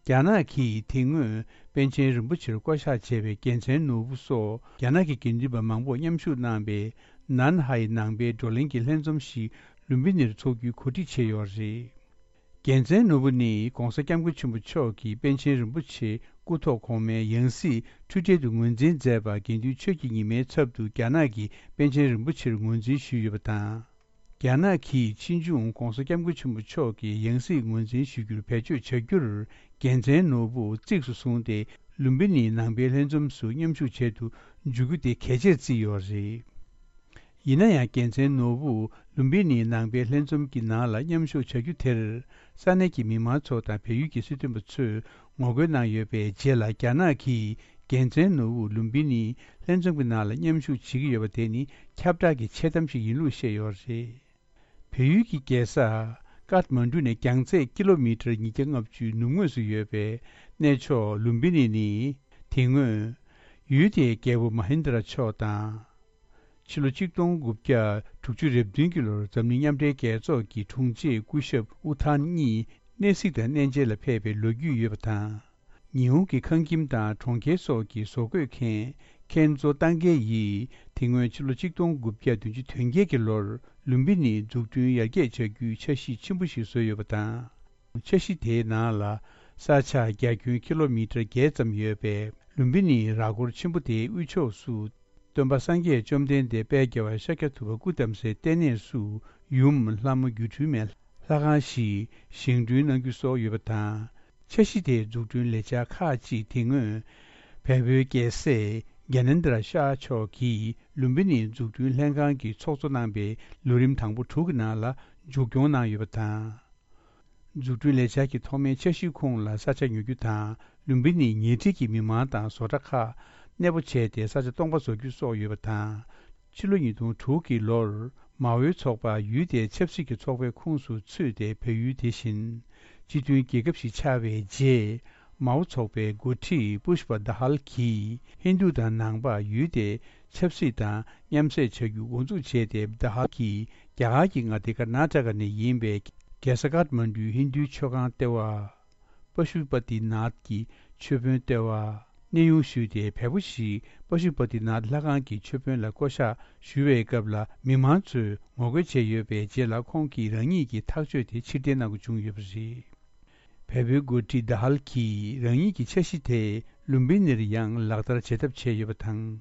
རྒྱ་ནག་གིས་དེ་སྔོན་པཎ་ཆེན་རིན་པོ་ཆེར་བསྐོ་བཞག་བྱས་པའི་རྒྱལ་མཚན་ནོར་བུ་སོགས་རྒྱ་ནག་གི་དགེ་འདུན་པ་མང་པོ་མཉམ་ཞུགས་གནང་པའི་ནན་ཧའེ་ནང་པའི་བགྲོ་གླེང་གི་ལྷན་འཛོམས་ཤིག་ལུམ་བི་ནིར་འཚོགས་རྒྱུའི་གོ་སྒྲིག་བྱས་ཡོད་རེད། རྒྱལ་མཚན་ནོར་བུ་ནི་༧གོང་ས་༧སྐྱབས་མགོན་ཆེན་པོ་མཆོག་གིས་པཎ་ཆེན་རིན་པོ་ཆེ་སྐུ་ཐོག་གོང་མའི་ཡང་སྲིད་འཁྲུལ་བྲལ་དུ་ངོས་འཛིན་མཛད་པ། དགེ་འདུན་ཆོས་ཀྱི་ཉི་མའི་ཚབ་ཏུ་རྒྱ་ནག་གི་པཎ་ཆེན་རིན་པོ་ཆེར་ངོས་འཛིན་ཞུས་ཡོད་པ་དང་། རྒྱ་ནག་གིས་ཕྱིས་འབྱུང་༧གོང་ས་༧སྐྱབས་མགོན་ཆེན་པོ་མཆོག་གི་ཡང་སྲིད་ངོས་འཛིན་ཞུ་རྒྱུར་བེད་སྤྱོད་བྱ་རྒྱུར། རྒྱལ་མཚན་ནོར་བུ་གཙིགས་སུ་བཟུང་སྟེ། ལུམ་བི་ནིའི་ནང་པའི་ལྷན་འཛོམས་སུ་མཉམ་ཞུགས་བྱེད་དུ་འཇུག་རྒྱུ་དེ་གལ་ཆེར་བརྩིས་ཡོད་རེད། ཡིན་ན་ཡང་། རྒྱལ་མཚན་ནོར་བུ་ལུམ་བི་ནིའི་ནང་པའི་ལྷན་འཛོམས་ཀྱི་ནང་ལ་མཉམ་ཞུགས་བྱ་རྒྱུ་དེར། ས་གནས་ཀྱི་མི་མང་ཚོ་དང་བལ་ཡུལ་གྱི་སྲིད་དོན་པ་ཚོས་ངོ་རྒོལ་གནང་ཡོད་པའི་རྗེས་ལ། རྒྱ་ནག་གིས་རྒྱལ་མཚན་ནོར་བུ་ལུམ་བི་ནིའི་ལྷན་འཛོམས་ཀྱི་ནང་ལ་མཉམ་ཞུགས་བྱེད་ཀྱི་ཡོད་པ་དེ་ནི་ཁྱབ་བསྒྲགས་ཀྱི་འཆལ་གཏམ་ཞིག་ཡིན་ལུགས་བཤད་ཡོད་རེད། བལ་ཡུལ་གྱི་རྒྱལ་ས་ཀཏ་མན་གྲུ་ནས་རྒྱང་ཚད་ཀི་ལོ་མི་ཊར་ཉིས་བརྒྱ་ལྔ་བཅུའི་ནུབ་ངོས་སུ་ཡོད་པའི་གནས་མཆོག་ལུམ་བི་ནི་ནི། དེ་སྔོན་ཡུལ་དེའི་རྒྱལ་པོ་མ་ཧིན་དྲ་མཆོག་དང་། ཕྱི་ལོ་ཆིག་སྟོང་དགུ་བརྒྱ་དྲུག་ཅུ་རེ་བདུན་གྱི་ལོར་འཛམ་གླིང་མཉམ་འབྲེལ་རྒྱལ་ཚོགས་ཀྱི་དྲུང་ཆེ་སྐུ་ཞབས་ཨུ་ཐན་གཉིས་གནས་གཟིགས་དང་གནས་མཇལ་ལ་ཕེབས་པའི་ལོ་རྒྱུས་ཡོད་པ་དང་། ཉི་ཧོང་གི་ཁང་ཁྱིམ་དང་གྲོང་ཁྱེར་སོགས་ཀྱི་བཟོ་བཀོད་མཁན་ཁེན་ཛོ་ཏང་གེ་ཡིས། དེ་སྔོན་ཕྱི་ལོ་ཆིག་སྟོང་དགུ་བརྒྱ་བདུན་ཅུ་དོན་བརྒྱད་ཀྱི་ལོར་ལུམ་བི་ནི་འཛུགས་སྐྲུན་ཡར་རྒྱས་བྱ་རྒྱུའི་འཆར་གཞི་ཆེན་པོ་ཞིག་བཟོས་ཡོད་པ་དང་། འཆར་གཞི་དེའི་ནང་ལ། ས་ཆ་རྒྱ་ཁྱོན་ཀི་ལོ་མི་ཊར་བརྒྱད་ཙམ་ཡོད་པའི་ལུམ་བི་ནིའི་ར་སྐོར་ཆེན་པོ་དེའི་དབུས་ཕྱོགས་སུ། སྟོན་པ་སངས་རྒྱས་བཅོམ་ལྡན་འདས་དཔལ་རྒྱལ་བ་ཤཱཀྱ་ཐུབ་པ་སྐུ་བལྟམས་སའི་ལྟེ་གནས་སུ། ཡུམ་ལྷ་མོ་སྒྱུ་འཕྲུལ་མའི་ལྷ་ཁང་ཞིག་བཞེངས་སྐྲུན་གནང་རྒྱུ་སོགས་ཡོད་པ་དང་། འཆར་གཞི་དེའི་འཛུགས་སྐྲུན་ལས་འཆར་ཁག་ཅིག་དེ་སྔོན། བལ་པོའི་རྒྱལ་སྲས་གྱ་ནེན་དྲ་ཤཱ་མཆོག་གིས་ལུམ་བི་ནིའི་འཛུགས་སྐྲུན་ལྷན་ཁང་གི་ཚོགས་གཙོ་གནང་པའི་ལོ་རིམ་དང་པོ་དྲུག་གི་ནང་ལ་མཇུག་སྐྱོང་གནང་ཡོད་པ་དང་། འཛུགས་སྐྲུན་ལས་འཆར་གྱི་ཐོག་མའི་འཆར་གཞིའི་ཁོངས་ལ་ས་ཆ་ཉོ་རྒྱུ་དང་། ལུམ་བི་ནིའི་ཉེ་འཁྲིས་ཀྱི་མི་མང་དང་བཟོ་གྲྭ་ཁག་གནས་སྤོ་བྱས་ཏེ། ས་ཆ་སྟོང་པ་བཟོ་རྒྱུ་སོགས་ཡོད་པ་དང་། ཕྱི་ལོ་ཉིས་སྟོང་དྲུག་གི་ལོར། མའོའི་ཚོགས་པ་ཡུལ་དེའི་ཆབ་སྲིད་ཀྱི་ཚོགས་པའི་ཁོངས་སུ་ཚུད་དེ། བལ་ཡུལ་དེ་བཞིན་སྤྱི་མཐུན་རྒྱལ་ཁབ་ཞིག་ཆགས་པའི་རྗེས། མའོ་ཚོགས་པའི་འགོ་ཁྲིད་པུཤ་པ་དཱ་ཧལ་གྱིས། ཧིན་རྡུ་དང་ནང་པ་ཡུལ་དེའི་ཆབ་སྲིད་དང་མཉམ་བསྲེས་བྱ་རྒྱུ་འགོ་འཛུགས་བྱས་ཏེ། དཱ་ཧལ་གྱིས་རྒྱ་གར་གྱི་མངའ་སྡེ་ཀར་ནཱ་ཊ་ཀ་ནས་ཡིན་པའི་རྒྱལ་ས་ཀཏ་མན་གྲུའི་ཧིན་རྡུའི་མཆོད་ཁང་ལྟེ་བ། པ་ཤུ་པ་ཏི་ནཱཐ་ཀྱི་མཆོད་དཔོན་ལྟེ་བ། གནས་དབྱུང་ཞུས་ཏེ། བལ་པོ་ཞིག་པ་ཤུ་པ་ཏི་ནཱཐ་ལྷ་ཁང་གི་མཆོད་དཔོན་ལ་བསྐོ་བཞག་ཞུ་བའི་སྐབས་ལ། མི་མང་ཚོས་ངོ་རྒོལ་བྱས་ཡོད་པའི་རྗེས་ལ། ཁོང་གིས་རང་ཉིད་ཀྱི་ཐག་གཅོད་དེ་ཕྱིར་འཐེན་གནང་དགོས་བྱུང་ཡོད་པ་རེད། བལ་པོའི་འགོ་ཁྲིད་དཱ་ཧལ་གྱིས་རང་ཉིད་ཀྱི་འཆར་གཞི་དེ་ལུམ་བི་ནིར་ཡང་ལག་བསྟར་བྱེད་ཐབས་བྱས་ཡོད་པ་དང་།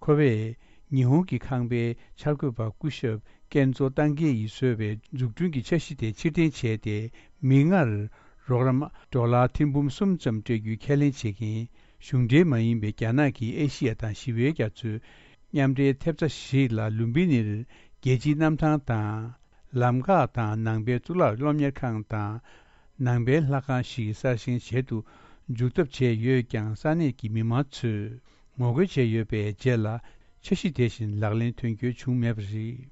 ཁོ་བས་ཉི་ཧོང་གི་ཁང་པའི་འཆར་འགོད་པ་སྐུ་ཞབས་ཀེན་ཛོ་ཏང་གེ་ཡིས་བཟོས་པའི་འཛུགས་སྐྲུན་གྱི་འཆར་གཞི་དེ་ཕྱིར་འཐེན་བྱས་ཏེ། མིག་སྔར་རོགས་རམ་ཌོ་ལར་ཐེར་འབུམ་གསུམ་ཙམ་སྤྲད་རྒྱུའི་ཁས་ལེན་བྱེད་མཁན་གཞུང་འབྲེལ་མ་ཡིན་པའི་རྒྱ་ནག་གིས་ཨེ་ཤི་ཡ་དང་ཞི་བའི་རྒྱ་མཚོའི་མཉམ་འབྲེལ་ཐེབས་རྩ་ཞིག་ལ། ལུམ་བི་ནིར་རྒྱལ་སྤྱིའི་གནམ་ཐང་དང་། ལམ་འགག་དང་། ནང་པའི་གཙུག་ལག་སློབ་གཉེར་ཁང་དང་། ནང་པའི་ལྷ་ཁང་ཞིག་གསར་བཞེངས་བྱེད་དུ་འཇུག་ཐབས་བྱས་ཡོད་ཀྱང་། ས་གནས་ཀྱི་མི་མང་ཚོས་ངོ་རྒོལ་བྱས་ཡོད་པའི་རྗེས་ལ། འཆར་གཞི་དེ་བཞིན་ལག་ལེན་དོན་འཁྱོལ་བྱུང་མེད་པ་རེད།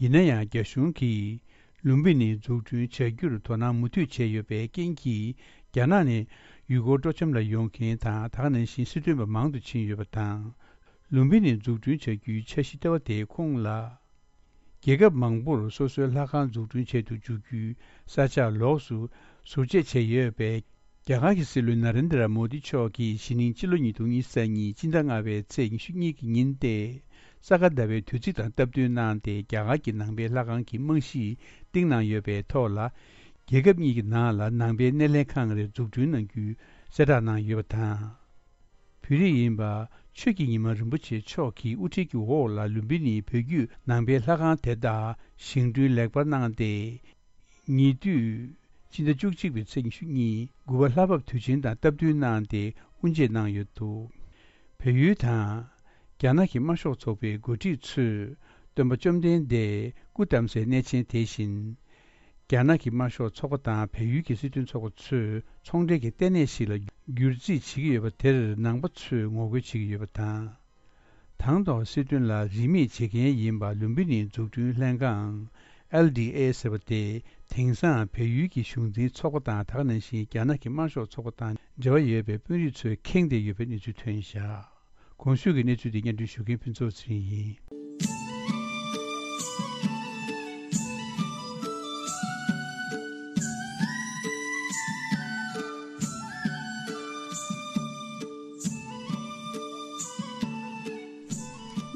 ཡིན་ན་ཡང་། རྒྱ་གཞུང་གིས་ལུམ་བི་ནི་འཛུགས་སྐྲུན་བྱ་རྒྱུར་དོ་སྣང་མུ་མཐུད་བྱས་ཡོད་པའི་རྐྱེན་གྱིས། རྒྱ་ནག་ནས་ཡུལ་སྐོར་སྤྲོ་འཆམ་ལ་ཡོང་མཁན་དང་། ད་ག་ནང་བཞིན་སྲིད་དོན་པ་མང་དུ་ཕྱིན་ཡོད་པ་དང་། ལུམ་བི་ནི་འཛུགས་སྐྲུན་བྱ་རྒྱུའི་འཆར་གཞི་ལྟེ་བ་དེའི་ཁོངས་ལ། རྒྱལ་ཁབ་མང་པོར་སོ་སོའི་ལྷ་ཁང་འཛུགས་སྐྲུན་བྱེད་དུ་འཇུག་རྒྱུའི་ས་ཆ་ལོགས་སུ་ཟུར་བཅད་བྱས་ཡོད་པས། རྒྱ་གར་གྱི་སྲིད་བློན་ན་རེན་དྲ་མོ་དི་མཆོག་གིས་གཞེས་ནིང་ཕྱི་ལོ་ཉིས་སྟོང་ཉི་ཤུ་རྩ་གཉིས་སྤྱི་ཟླ་ལྔ་པའི་ཚེས་ཉི་ཤུ་གཉིས་ཀྱི་ཉིན་ཏེ། ས་ག་ཟླ་བའི་དུས་ཚིགས་དང་སྟབས་བསྟུན་གནང་སྟེ། རྒྱ་གར་གྱི་ནང་པའི་ལྷ་ཁང་གི་རྨང་གཞི་བཏིང་གནང་ཡོད་པའི་ཐོག་ལ། རྒྱལ་ཁབ་གཉིས་ཀྱི་ནང་ལ་ནང་པའི་སྣེ་ལེན་ཁང་རེ་འཛུགས་སྐྲུན་གནང་རྒྱུའི་གསལ་བསྒྲགས་གནང་ཡོད་པ་དང་། བོད་རིགས་ཡིན་པ་ཆོས་ཀྱི་ཉི་མ་རིན་པོ་ཆེ་མཆོག་གི་དབུ་ཁྲིད་ཀྱི་འོག་ལ་ལུམ་བི་ནིའི་བོད་བརྒྱུད་ནང་པའི་ལྷ་ཁང་དེ་དག་བཞེངས་སྐྲུན་ལེགས་པར་གནང་སྟེ། ཉེ་དུས་སྤྱི་ཟླ་བཅུ་གཅིག་པའི་ཚེས་ཉི་ཤུ་གཉིས་དགུ་པ་ལྷ་བབས་དུས་ཆེན་དང་སྟབས་བསྟུན་གནང་སྟེ་དབུ་འབྱེད་གནང་ཡོད་འདུག་བལ་ཡུལ་དང་རྒྱ་ནག་གི་དམར་ཤོག་ཚོགས་པའི་འགོ་ཁྲིད་ཚོས་སྟོན་པ་བཅོམ་ལྡན་འདས་སྐུ་བལྟམས་སའི་གནས་ཆེན་དེ་བཞིན། རྒྱ་ནག་གི་དམར་ཤོག་ཚོགས་པ་དང་བལ་ཡུལ་གྱི་སྲིད་དོན་ཚོགས་པ་ཚོས་ཚོང་འབྲེལ་གྱི་ལྟེ་གནས་ཤིག་ལ་བསྒྱུར་རྩིས་བྱེད་ཀྱི་ཡོད་པ་དེར་ནང་པ་ཚོས་ངོ་རྒོལ་བྱེད་ཀྱི་ཡོད་པ་དང་། དང་ཐོག་སྲིད་དོན་ལ་རིས་མེད་བྱེད་མཁན་ཡིན་པ་ལུམ་བི་ནིའི་འཛུགས་སྐྲུན་ལྷན་ཁང་། ཨེལ་ཌི་ཨེ་ཟེར་བ་དེ། དེང་སང་བལ་ཡུལ་གྱི་གཞུང་འཛིན་ཚོགས་པ་དང་། ད་ག་ནང་བཞིན་རྒྱ་ནག་གི་དམར་ཤོག་ཚོགས་པ་དང་འབྲེལ་བ་ཡོད་པའི་དཔོན་རིགས་ཚོས་ཁེངས་བསྡད་ཡོད་པའི་གནས་ཚུལ་ཐོན་བཞག་གོང་ཞུས་ཀྱི་གནས་ཚུལ་འདི་སྙན་སྒྲོན་ཞུ་མཁན་ཕུན་ཚོགས་ཚེ་རིང་ཡིན།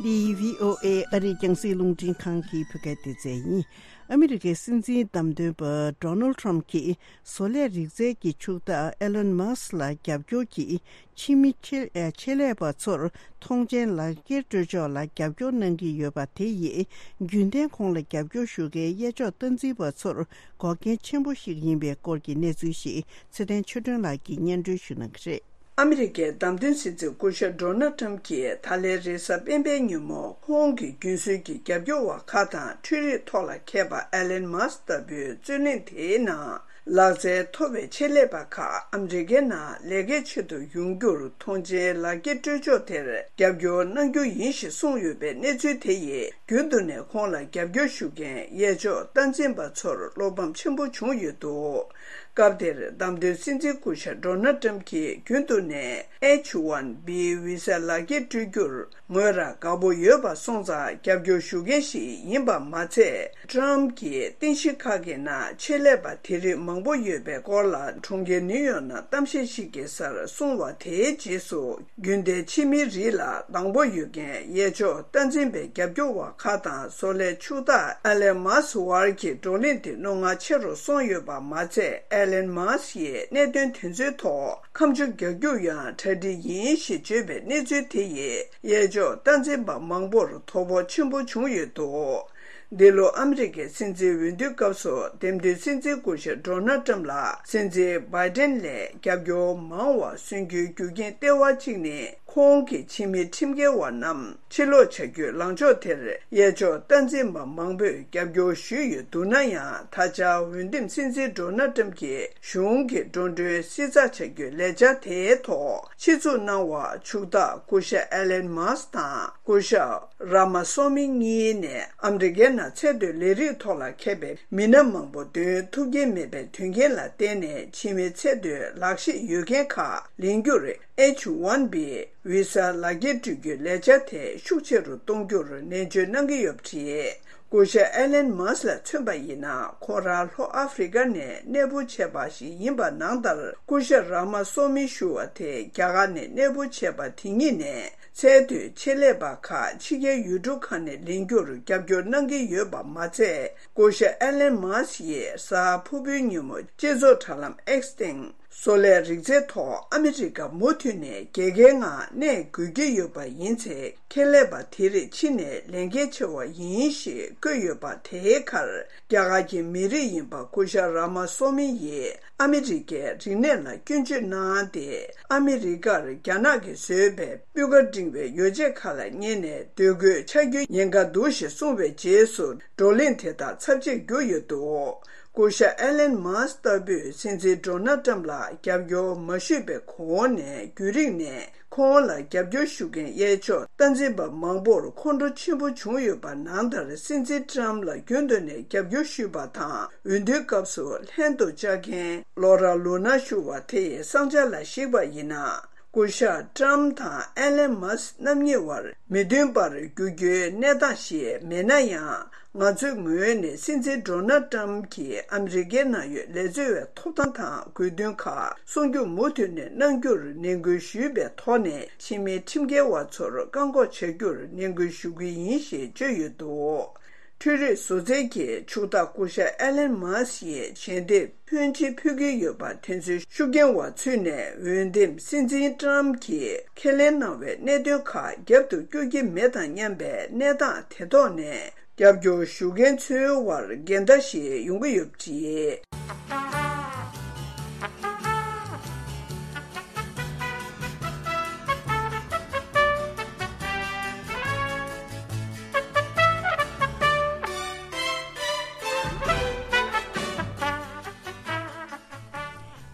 འདི་བྷི་ཨོ་ཨེ་ཨ་རིའི་རྒྱང་སྲིང་རླུང་འཕྲིན་ཁང་གི་བོད་སྐད་སྡེ་ཚན་ཡིན། ཨ་མི་རི་ཀའི་སྲིད་འཛིན་བདམས་ཐོན་པ་ཌོ་ནལ་ཊམ་གྱིས་བཟོ་ལས་རིག་རྩལ་གྱི་ཕྱུག་བདག་ཨེ་ལན་མཱ་སི་ལ་རྒྱབ་སྐྱོར་གྱིས། ཕྱི་མི་ཆེད་ཆེད་ལས་པ་ཚོར་ཐོངས་མཆན་ལག་འཁྱེར་སྤྲོད་ཕྱོགས་ལ་རྒྱབ་སྐྱོར་གནང་གི་ཡོད་པ་དེ་ཡིས། རྒྱུན་ལྡན་ཁོང་ལ་རྒྱབ་སྐྱོར་ཞུ་མཁན་གཡས་ཕྱོགས་སྟངས་འཛིན་པ་ཚོར་འགོག་རྐྱེན་ཆེན་པོ་ཞིག་ཡིན་པའི་སྐོར་གྱི་གནས་ཚུལ་ཞིག་ཚེ་བརྟན་ཆོས་སྒྲོན་ལགས་ཀྱིས་སྙན་སྒྲོན་ཞུ་གནང་གི་རེད། ཨ་མི་རི་ཀའི་བདམས་ཐོན་སྲིད་འཛིན་སྐུ་ཞབས་ཌོ་ནལ་ཊམ་གྱིས་ད་ལན་རེས་གཟའ་སྤེན་པའི་ཉིན་མོ་ཁོང་གི་རྒྱུན་སྲོལ་གྱི་རྒྱབ་སྐྱོར་བ་ཁག་དང་འཕྲུལ་རིག་ཐོག་ལ་མཁས་པ་ཨེ་ལན་མཱ་སི་ལྟ་བུའི་རྩོད་གླེང་དེའི་ནང་། ལག་རྩལ་མཐོ་བའི་ཆེད་ལས་པ་ཁག་ཨ་མི་རི་ཀའི་ནང་ལས་ཀའི་ཆེད་དུ་ཡོང་རྒྱུར་ཐོངས་མཆན་ལག་འཁྱེར་སྤྲོད་ཕྱོགས་དེར་རྒྱབ་སྐྱོར་གནང་རྒྱུ་ཡིན་ཞེས་གསུངས་ཡོད་པའི་གནས་ཚུལ་དེ་ཡིས། རྒྱུན་དུ་ནས་ཁོང་ལ་རྒྱབ་སྐྱོར་ཞུ་མཁན་གཡས་ཕྱོགས་སྟངས་འཛིན་པ་ཚོར་བློ་ཕམ་ཆེན་པོ་བྱུང་ཡོད་འདུག་སྐབས་དེར་བདམས་ཐོན་སྲིད་འཛིན་སྐུ་ཞབས་ཌོ་ནལ་ཊམ་གྱིས་རྒྱུན་དུ་ནས་ཨེཆ་ཝན་བི་བི་ས་ལག་འཁྱེར་སྤྲོད་རྒྱུར། ངོས་རང་དགའ་པོ་ཡོད་པ་སོང་ཙང་རྒྱབ་སྐྱོར་ཞུ་མཁན་ཞིག་ཡིན་པ་མ་ཚད། ཊམ་གྱིས་རྟེན་གཞི་ཁག་གི་ནང་ཆེད་ལས་པ་དེ་རིགས་མང་པོ་ཡོད་པའི་སྐོར་ལ་གྲོང་ཁྱེར་ནིའུ་ཡོག་ནང་གཏམ་བཤད་ཞིག་བགྱིས་སར་གསུངས་པ་དེའི་རྗེས་སུ། རྒྱུན་ལྡན་ཕྱི་མིའི་རིགས་ལ་དང་པོ་ཡོད་མཁན་གཡས་ཕྱོགས་སྟངས་འཛིན་པའི་རྒྱབ་སྐྱོར་བ་ཁག་དང་བཟོ་ལས་ཕྱུག་བདག་ཨེ་ལན་མཱ་སི་བར་གྱི་བགྲོ་གླེང་དེ་རྣོ་ངར་ཆེ་རུ་སོང་ཡོད་པ་མ་ཚད། ཨེ་ལན་མཱ་སི་ཡིས་གནད་དོན་དེ་ཚོའི་ཐོག་ཁ་མཆུ་རྒྱག་རྒྱུ་ཡང་གྲ་སྒྲིག་ཡིན་ཞེས་བརྗོད་པའི་གནས་ཚུལ་དེ་ཡིས། གཡས་ཕྱོགས་སྟངས་འཛིན་པ་མང་པོར་དོ་ཕོག་ཆེན་པོ་བྱུང་ཡོད་འདུག་འདི་ལོ་ཨ་མི་རི་ཀའི་སྲིད་འཛིན་འོས་བསྡུའི་སྐབས་སུ་འདེམས་ཐོན་སྲིད་འཛིན་སྐུ་ཞབས་ཌོ་ནལ་ཊམ་ལ་སྲིད་འཛིན་བྷའི་ཌེན་ལས་རྒྱབ་སྐྱོར་མང་བ་སོན་རྒྱུའི་རྒྱུ་རྐྱེན་ལྟེ་བ་གཅིག་ནི། ཁོང་གི་ཕྱི་མི་ཁྲིམས་འགལ་བ་རྣམས་ཕྱིར་ལོག་བྱ་རྒྱུའི་ལངས་ཕྱོགས་དེར། གཡས་ཕྱོགས་སྟངས་འཛིན་པ་མང་པོས་རྒྱབ་སྐྱོར་ཞུས་ཡོད་འདུག་ན་ཡང་། ད་ཆ་འོས་འདེམས་སྲིད་འཛིན་ཌོ་ནལ་ཊམ་གྱི་གཞུང་གི་འགྲོ་གྲོན་བསྲི་ཚགས་བྱ་རྒྱུའི་ལས་འཆར་དེའི་ཐོག་ཆེད་འཛུགས་གནང་བ་ཕྱུག་བདག་སྐུ་ཞབས་ཨེ་ལན་མཱ་སི་དང་སྐུ་ཞབས་རཱ་མ་སོ་མི་གཉིས་ནས་ཨ་མི་རི་ཀའི་ནང་ཚད་མཐོའི་ལས་རིགས་ཐོག་ལ་མཁས་པའི་མི་སྣ་མང་པོ་འདོན་ཐུབ་ཀྱིན་མེད་པའི་དོན་རྐྱེན་ལ་བརྟེན་ནས། ཕྱི་མི་ཚད་མཐོའི་ལག་ཤེས་ཡོད་མཁན་ཁག་ལེན་རྒྱུར་ཨེཆ་ཝན་བི་བི་ས་ལག་འཁྱེར་སྤྲོད་རྒྱུའི་ལས་འཆར་དེ་ཤུགས་ཆེ་རུ་གཏོང་རྒྱུར་ནན་བརྗོད་གནང་གི་ཡོད་པ་རེད། སྐུ་ཞབས་ཨེ་ལན་མཱ་སི་ལ་མཚོན་པ་ཡིན་ན། ཁོ་རང་ལྷོ་ཨ་ཧྥེ་རི་ཀ་ནས་གནས་སྤོ་བྱས་པ་ཞིག་ཡིན་པ་ནང་ལྟར། སྐུ་ཞབས་རཱ་མ་སོ་མི་ཞུ་བ་དེ་རྒྱ་གར་ནས་གནས་སྤོ་བྱས་པ་དེ་ཉིད་ནས། ཚད་མཐོའི་ཆེད་ལས་པ་ཁག་ཕྱི་རྒྱལ་ཡུལ་གྲུ་ཁག་ནས་ལེན་རྒྱུར་རྒྱབ་སྐྱོར་གནང་གི་ཡོད་པ་མ་ཚད། སྐུ་ཞབས་ཨེ་ལན་མཱ་སི་ཡིས་གཟའ་ཕུར་བུའི་ཉིན་མོ་སྤྱི་ཚོགས་དྲ་ལམ་ཨེགས་སྟེང་། བཟོ་ལས་རིག་རྩལ་ཐོག་ཨ་མི་རི་ཀ་མུ་མཐུད་ནས་རྒྱལ་ཁའི་ངང་གནས་དགོས་ཀྱི་ཡོད་པ་ཡིན་ཚེ། ཁྱད་ལས་པ་དེ་རིགས་ཕྱི་ནས་ལེན་གལ་ཆེ་བ་ཡིན་ཞེས་བཀོད་ཡོད་པ། དེའི་ཁར་རྒྱ་གར་གྱི་མི་རིགས་ཡིན་པ་སྐུ་ཞབས་རཱ་མ་སོ་མི་ཡིས་ཨ་མི་རི་ཀའི་རིག་གནས་ལ་སྐྱོན་བརྗོད་གནང་སྟེ། ཨ་མི་རི་ཀར་རྒྱ་ནག་གིས་བཟོས་པའི་སྤུས་ཀ་འབྲིང་བའི་ཡོ་བྱད་ཁག་ལ་བསྙེས་ནས་འདོད་དགོས་ཆགས་རྒྱུའི་ཉེན་ཁ་འདུག་ཞེས་གསུངས་པའི་རྗེས་སུ། བགྲོ་གླེང་དེ་དག་ཚབས་ཆེར་གྱུར་ཡོད་འདུག་སྐུ་ཞབས་ཨེ་ལན་མཱ་སི་ལྟ་བུས་སྲིད་འཛིན་ཌོ་ནལ་ཊམ་ལ་རྒྱབ་སྐྱོར་མ་ཞུས་པའི་གོང་ནས་རྒྱུན་རིང་ནས་ཁོང་ལ་རྒྱབ་སྐྱོར་ཞུ་མཁན་གཡས་ཕྱོགས་སྟངས་འཛིན་པ་མང་པོར་ཁོང་ཁྲོ་ཆེན་པོ་བྱུང་ཡོད་པ་ནང་ལྟར། སྲིད་འཛིན་ཊམ་ལ་རྒྱུན་དུ་ནས་རྒྱབ་སྐྱོར་ཞུས་པ་དང་འོས་བསྡུའི་སྐབས་སུ་ལྷན་དུ་བཅར་མཁན་ལོ་ར་ལུ་ན་ཞུ་བ་དེ་ཡི་གསང་ཆ་ལ་གཞིགས་པ་ཡིན་ན། སྐུ་ཞབས་ཊམ་དང་ཨེ་ལན་མཱ་སི་རྣམ་གཉིས་བར་མི་མཐུན་པར་འགྱུར་རྒྱུའི་གནས་སྟངས་ཤིག་མེད་ན་ཡང་། ང་ཚོའི་ངོས་ནས་སྲིད་འཛིན་ཌོ་ནལ་ཊམ་གྱིས་ཨ་མི་རི་ཀའི་ནང་ཡོད་ལས་བྱེད་པའི་ཐོབ་ཐང་དང་དགོས་འདུན་ཁག་སྲུང་སྐྱོབ་མུ་མཐུད་ནས་གནང་རྒྱུར་ནན་སྐུལ་ཞུས་པའི་ཐོག་ནས། ཕྱི་མི་ཁྲིམས་འགལ་བ་ཚོར་བཀག་འགོག་བྱ་རྒྱུར་ནན་སྐུལ་ཞུ་གི་ཡིན་ཞེས་བརྗོད་ཡོད་འདུག་འཕྲུལ་རིག་བཟོ་རྩལ་གྱི་ཕྱུག་བདག་སྐུ་ཞབས་ཨེ་ལན་མཱ་སི་ཡིས་ཞལ་འདེབས་ཕོན་ཆེ་ཕུལ་གྱི་ཡོད་པ་དེ་ཚོའི་ཤུགས་རྐྱེན་འོག་ཚུད་ནས། འོས་འདེམས་སྲིད་འཛིན་ཊམ་གྱིས་ཁས་ལེན་གནང་བའི་གནད་དོན་ཁག་རྒྱབ་ཏུ་བསྐྱུར་གྱི་མེད་དང་སྙམ་པའི་གནས་སྟངས་དེ་ཐོག་ནས། རྒྱབ་སྐྱོར་ཞུ་མཁན་ཚོའི་དབར་འགལ་ཟླ་ཞིག་ཡོང་གི་ཡོད་པ་རེད།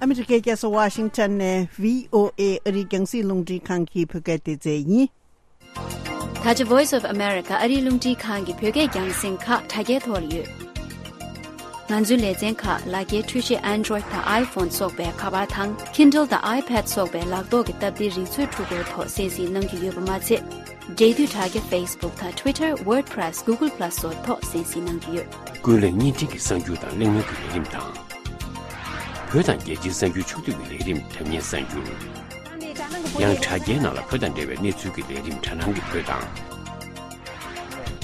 ཨ་མི་རི་ཀའི་རྒྱལ་ས་ཝ་ཤིང་ཊོན་ནས་བྷི་ཨོ་ཨེ་ཨ་རིའི་རྒྱང་སྲིང་རླུང་འཕྲིན་ཁང་གི་བོད་སྐད་སྡེ་ཚན་ཡིན། ད་ཆ་Voice of America ཨ་རིའི་རླུང་འཕྲིན་ཁང་གི་བོད་སྐད་རྒྱང་སྲིང་ཁག་དྲ་རྒྱའི་ཐོག་ལ་ཡོད། ང་ཚོའི་ལེ་ཚན་ཁག་ལག་འཁྱེར་འཕྲུལ་ཆས་Android་དང་iPhone་སོགས་པའི་ཁ་པར་དང་Kindle་དང་iPad་སོགས་པའི་ལག་ཐོག་གི་སྟབས་བདེའི་རིག་མཛོད་འཕྲུལ་འཁོར་ཐོག་གསན་གཟིགས་གནང་རྒྱུ་ཡོད་པ་མ་ཚད། འབྲེལ་མཐུད་དྲ་རྒྱ་Facebook་དང་Twitter WordPress Google Plus་སོགས་ཐོག་གསན་གཟིགས་གནང་རྒྱུ་ཡོད། ཀུན་གླེང་བརྙན་འཕྲིན་གྱི་གསར་འགྱུར་དང་གླེང་མོལ་གྱི་ལས་རིམ་དང་། བོད་དང་རྒྱལ་སྤྱིའི་གསར་འགྱུར་ཕྱོགས་བསྡུས་ཀྱི་ལས་རིམ་དྲ་བརྙན་གསར་འགྱུར། ཡང་དྲ་རྒྱའི་ནང་ལ་བོད་དང་འབྲེལ་བའི་གནས་ཚུལ་གྱི་ལས་རིམ་དྲ་ནང་གི་བོད་དང་།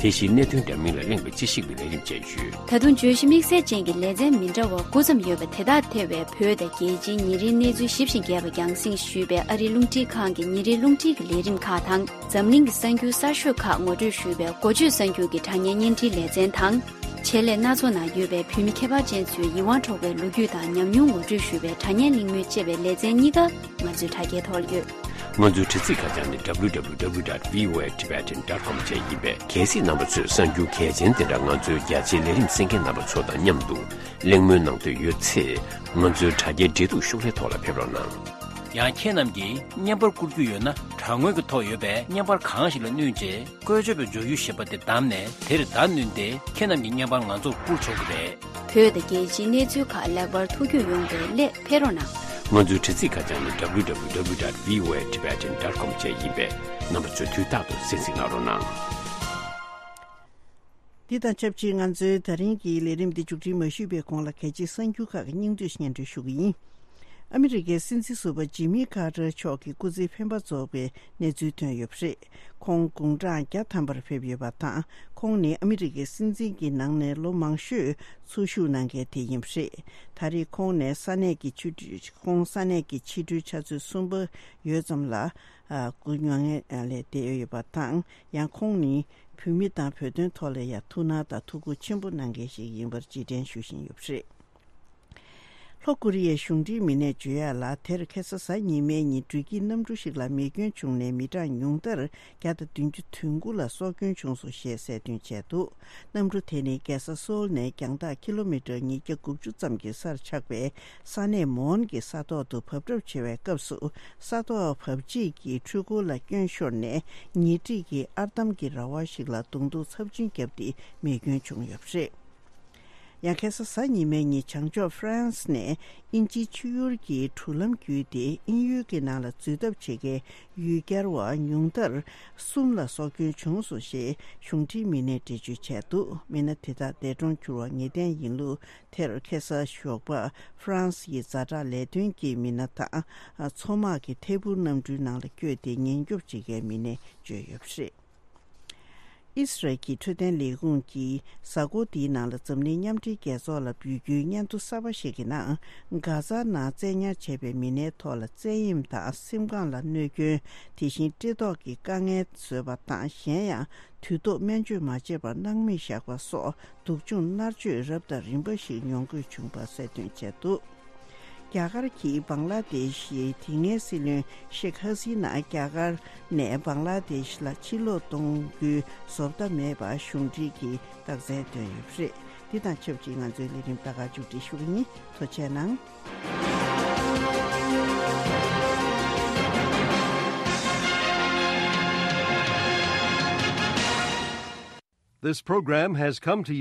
དེ་བཞིན་གནད་དོན་འདྲ་མིན་ལ་གླེང་བའི་དཔྱད་ཞིབ་ཀྱི་ལས་རིམ་བཅས་ཡོད། ད་དུང་བརྗོད་གཞི་དམིགས་བསལ་ཅན་གྱི་ལེ་ཚན་མི་འདྲ་བ་དགུ་ཙམ་ཡོད་པ་དེ་དག་ཐེ་བའི་བོད་དང་རྒྱལ་སྤྱིའི་ཉིན་རེའི་གནས་ཚུལ་ཞིབ་ཅིང་རྒྱས་པ་རྒྱང་སྲིང་ཞུས་པའི་ཨ་རིའི་རླུང་འཕྲིན་ཁང་གི་ཉིན་རེའི་རླུང་འཕྲིན་གྱི་ལས་རིམ་ཁག་དང་། འཛམ་གླིང་གི་གསར་འགྱུར་གསར་ཤོས་ཁག་ངོ་སྤྲོད་ཞུས་པའི་འགོ་བརྗོད་གསར་འགྱུར་གྱི་དྲ་བརྙན་བརྙན་འཕྲིན་ལེ་ཚན་དང་། ཆེད་ལས་སྣ་ཚོགས་ནང་ཡོད་པའི་བོད་མི་ཁྱད་པར་ཅན་ཚོའི་ཡིད་དབང་འཕྲོག་པའི་ལོ་རྒྱུས་དང་ཉམས་མྱོང་ངོ་སྤྲོད་ཞུས་པའི་དྲ་བརྙན་གླེང་མོལ་བཅས་པའི་ལེ་ཚན་གཉིས་ཀ་ང་ཚོའི་དྲ་རྒྱའི་ཐོག་ལ་ཡོད། ང་ཚོའི་དྲ་ཚིགས་ཁ་བྱང་ནི་W W W dot V O A Tibetan dot com བཅས་ཡིན་པས། གལ་སྲིད་རྣམ་པ་ཚོས་གསར་འགྱུར་གལ་ཆེན་དེ་འདྲ་ང་ཚོའི་རྒྱ་ཆེའི་ལས་རིམ་གསན་མཁན་རྣམ་པ་ཚོ་དང་མཉམ་དུ་གླེང་མོལ་གནང་འདོད་ཡོད་ཚེ། ང་ཚོའི་དྲ་རྒྱའི་འབྲེལ་གཏུག་ཤོག་ལྷེ་ཐོག་ལ་ཕེབས་རོགས་གནང་། ཡང་ཁྱེད་རྣམས་ཀྱིས་བརྙན་པར་བསྐུར་རྒྱུ་ཡོད་ན། དྲ་ངོས་ཀྱི་ཐོག་ཡོད་པའི་བརྙན་པར་གང་ཞིག་ལ་བསྣུན་རྗེས། བཀོལ་སྤྱོད་པའི་འཇོག་ཡུལ་ཞེས་པ་དེ་བདམས་ནས་དེར་བརྡ་བསྣུན་ཏེ། ཁྱེད་རྣམས་ཀྱི་བརྙན་པར་ང་ཚོར་བསྐུར་ཆོག་གི་རེད། བོད་དང་རྒྱལ་སྤྱིའི་གནས་ཚུལ་ཁག་ལེགས་པར་ཐུགས་རྒྱུས་ཡོང་བའི་སླད་ཕེབས་རོགས་གནང་། ང་ཚོའི་དྲ་ཚིགས་ཁ་བྱང་ནི་W W W dot V O A Tibetan dot com བཅས་ཡིན་པས། རྣམ་པ་ཚོས་དུས་རྟག་ཏུ་གསན་གཟིགས་གནང་རོགས་གནང་། འདི་དང་ཆབས་ཅིག་ང་ཚོའི་ད་རིང་གི་ལས་རིམ་འདི་མཇུག་སྒྲིལ་མ་ཞུས་པའི་གོང་ལ། གལ་ཆེའི་གསར་འགྱུར་ཁག་གི་སྙིང་བསྡུས་སྙན་སྒྲོན་ཞུ་གི་ཡིན། ཨ་མི་རི་ཀའི་སྲིད་འཛིན་ཟུར་པ་ཇི་མི་ཁ་ཏར་མཆོག་གི་སྐུ་ཚེའི་འཕེན་པ་རྫོགས་པའི་གནས་ཚུལ་ཐོན་ཡོད་པ་རེད། ཁོང་དགུང་གྲངས་བརྒྱ་ཐམ་པར་ཕེབས་ཡོད་པ་དང་། ཁོང་ནི་ཨ་མི་རི་ཀའི་སྲིད་འཛིན་གྱི་ནང་ནས་ལོ་མང་ཤོས་འཚོ་བཞུགས་གནང་མཁན་དེ་ཡིན་པ་རེད། ད་རེས་ཁོང་ནས་ས་གནས་ཀྱི་ཆུ་ཁོང་ས་གནས་ཀྱི་ཕྱི་དྲོའི་ཆུ་ཚོད་གསུམ་པ་ཡོལ་ཙམ་ལ། ཨ། སྐུ་མྱ་ངན་ལས་འདས་ཡོད་པ་དང་། ཡང་ཁོང་ནི་བོད་མི་དང་བོད་དོན་ཐོག་ལ་ཡང་ཐུགས་སྣང་དང་ཐུགས་ཁུར་ཆེན་པོ་གནང་མཁན་ཞིག་ཡིན་པར་རྗེས་དྲན་ཞུ་བཞིན་ཡོད་པ་རེད། ལྷོ་ཀོ་རི་ཡའི་གཞུང་འབྲེལ་མི་སྣས་བརྗོད་ཡག་ལ། དེར་ཁ་སང་གཟའ་ཉི་མའི་ཉིན་འགྲུལ་སྐྱེལ་གནམ་གྲུ་ཞིག་ལ་མེ་སྐྱོན་བྱུང་ནས་མི་གྲངས་ཉུང་མཐར་བརྒྱ་དང་བདུན་ཅུ་དོན་དགུ་ལ་སྲོག་སྐྱོན་བྱུང་སོང་ཞེས་གསལ་སྟོན་བྱས་འདུག་གནམ་གྲུ་དེ་ནི་རྒྱལ་ས་སོའུལ་ནས་རྒྱང་ཐག་ཀི་ལོ་མི་ཊར་ཉིས་བརྒྱ་དགུ་བཅུ་ཙམ་གྱི་སར་ཆགས་པའི་ས་གནས་མོན་གྱི་ས་ཐོག་ཏུ་བབས་གྲབས་བྱེད་པའི་སྐབས་སུ། ས་ཐོག་བབས་རྗེས་ཀྱི་འཕྲུལ་འཁོར་ལ་སྐྱོན་ཤོར་ནས། ཉེ་འཁྲིས་ཀྱི་ཨར་འདམ་གྱི་ར་བ་ཞིག་ལ་རྡུང་རྡུང་ཚབས་ཆེན་བརྒྱབ་སྟེ་མེ་སྐྱོན་བྱུང་ཡོད་པ་རེད། ཡང་ཁ་སང་གཟའ་ཉི་མའི་ཉིན་བྱང་ཕྱོགས་ཧྥ་རན་སི་ནས་དབྱིན་ཇིའི་ཆུ་ཡུར་གྱི་གྲུ་ལམ་བརྒྱུད་དེ་དབྱིན་ཡུལ་གྱི་ནང་ལ་འཛུལ་ཐབས་བྱེད་མཁན་ཡུལ་གྱར་བ་ཉུང་མཐར་གསུམ་ལ་སྲོག་སྐྱོན་བྱུང་སོང་ཞེས་གཞུང་འབྲེལ་མི་སྣས་འགྲེལ་བརྗོད་བྱས་འདུག་མི་སྣ་དེ་དག་འདས་གྲོངས་གྱུར་བ་ངེས་གཏན་ཡིན་ལུགས། དེར་ཁ་སང་ཞོགས་པ་ཧྥ་རན་སི་ཡི་ཛ་དྲག་ལས་དོན་གྱི་མི་སྣ་དང་མཚོ་དམག་གི་ཐད་འཕུར་གནམ་གྲུའི་ནང་ལ་བསྐྱོད་དེ་ཉེན་སྐྱོབ་བྱེད་མཁན་མི་སྣས་བརྗོད་ཡོད་པ་རེད། ཨི་སི་རལ་གྱི་འཕྲོད་བསྟེན་ལས་ཁུངས་ཀྱིས་གཟའ་འཁོར་འདིའི་ནང་ལ་འཛམ་གླིང་མཉམ་འབྲེལ་རྒྱལ་ཚོགས་ལ་འབོད་སྐུལ་སྙན་ཐོ་གསར་པ་ཞིག་གི་ནང་། གྷ་ཛ་ནང་བཙན་ཉར་བྱས་པའི་མི་སྣའི་ཐོག་ལ་བཙན་གཡེམ་དང་སེམས་ཁམས་ལ་གནོད་སྐྱོན། དེ་བཞིན་བཀྲེས་ལྟོགས་ཀྱི་དཀའ་ངལ་བཟོས་པ་དང་། གཞན་ཡང་དུས་ཐོག་སྨན་བཅོས་མ་བྱས་པར་སྣང་མེད་བཞག་པ་སོགས། སྡུག་སྦྱོང་མནར་གཅོད་རབ་དང་རིམ་པ་ཞིག་མྱོང་དགོས་བྱུང་བ་གསལ་སྟོན་བྱས་འདུག་རྒྱ་གར་གྱིས་བང་ལ་དེ་ཤི་ཡི་དེ་སྔའི་སྲིད་བློན་ཤེག་ཧ་སི་ན་རྒྱ་གར་ནས་བང་ལ་དེ་ཤི་ལ་ཕྱིར་ལོག་གཏོང་རྒྱུའི་བཟོ་ལྟ་མེད་པ་གཞུང་འབྲེལ་གྱིས་རྟགས་མཚན་བཏོན་ཡོད་པ་རེད། དེ་དང་ཆབས་ཅིག་ང་ཚོའི་ལས་རིམ་ད་ག་མཇུག་སྒྲིལ་ཞུ་གི་ཡིན། ཐུགས་རྗེ་གནང་། This program has come to you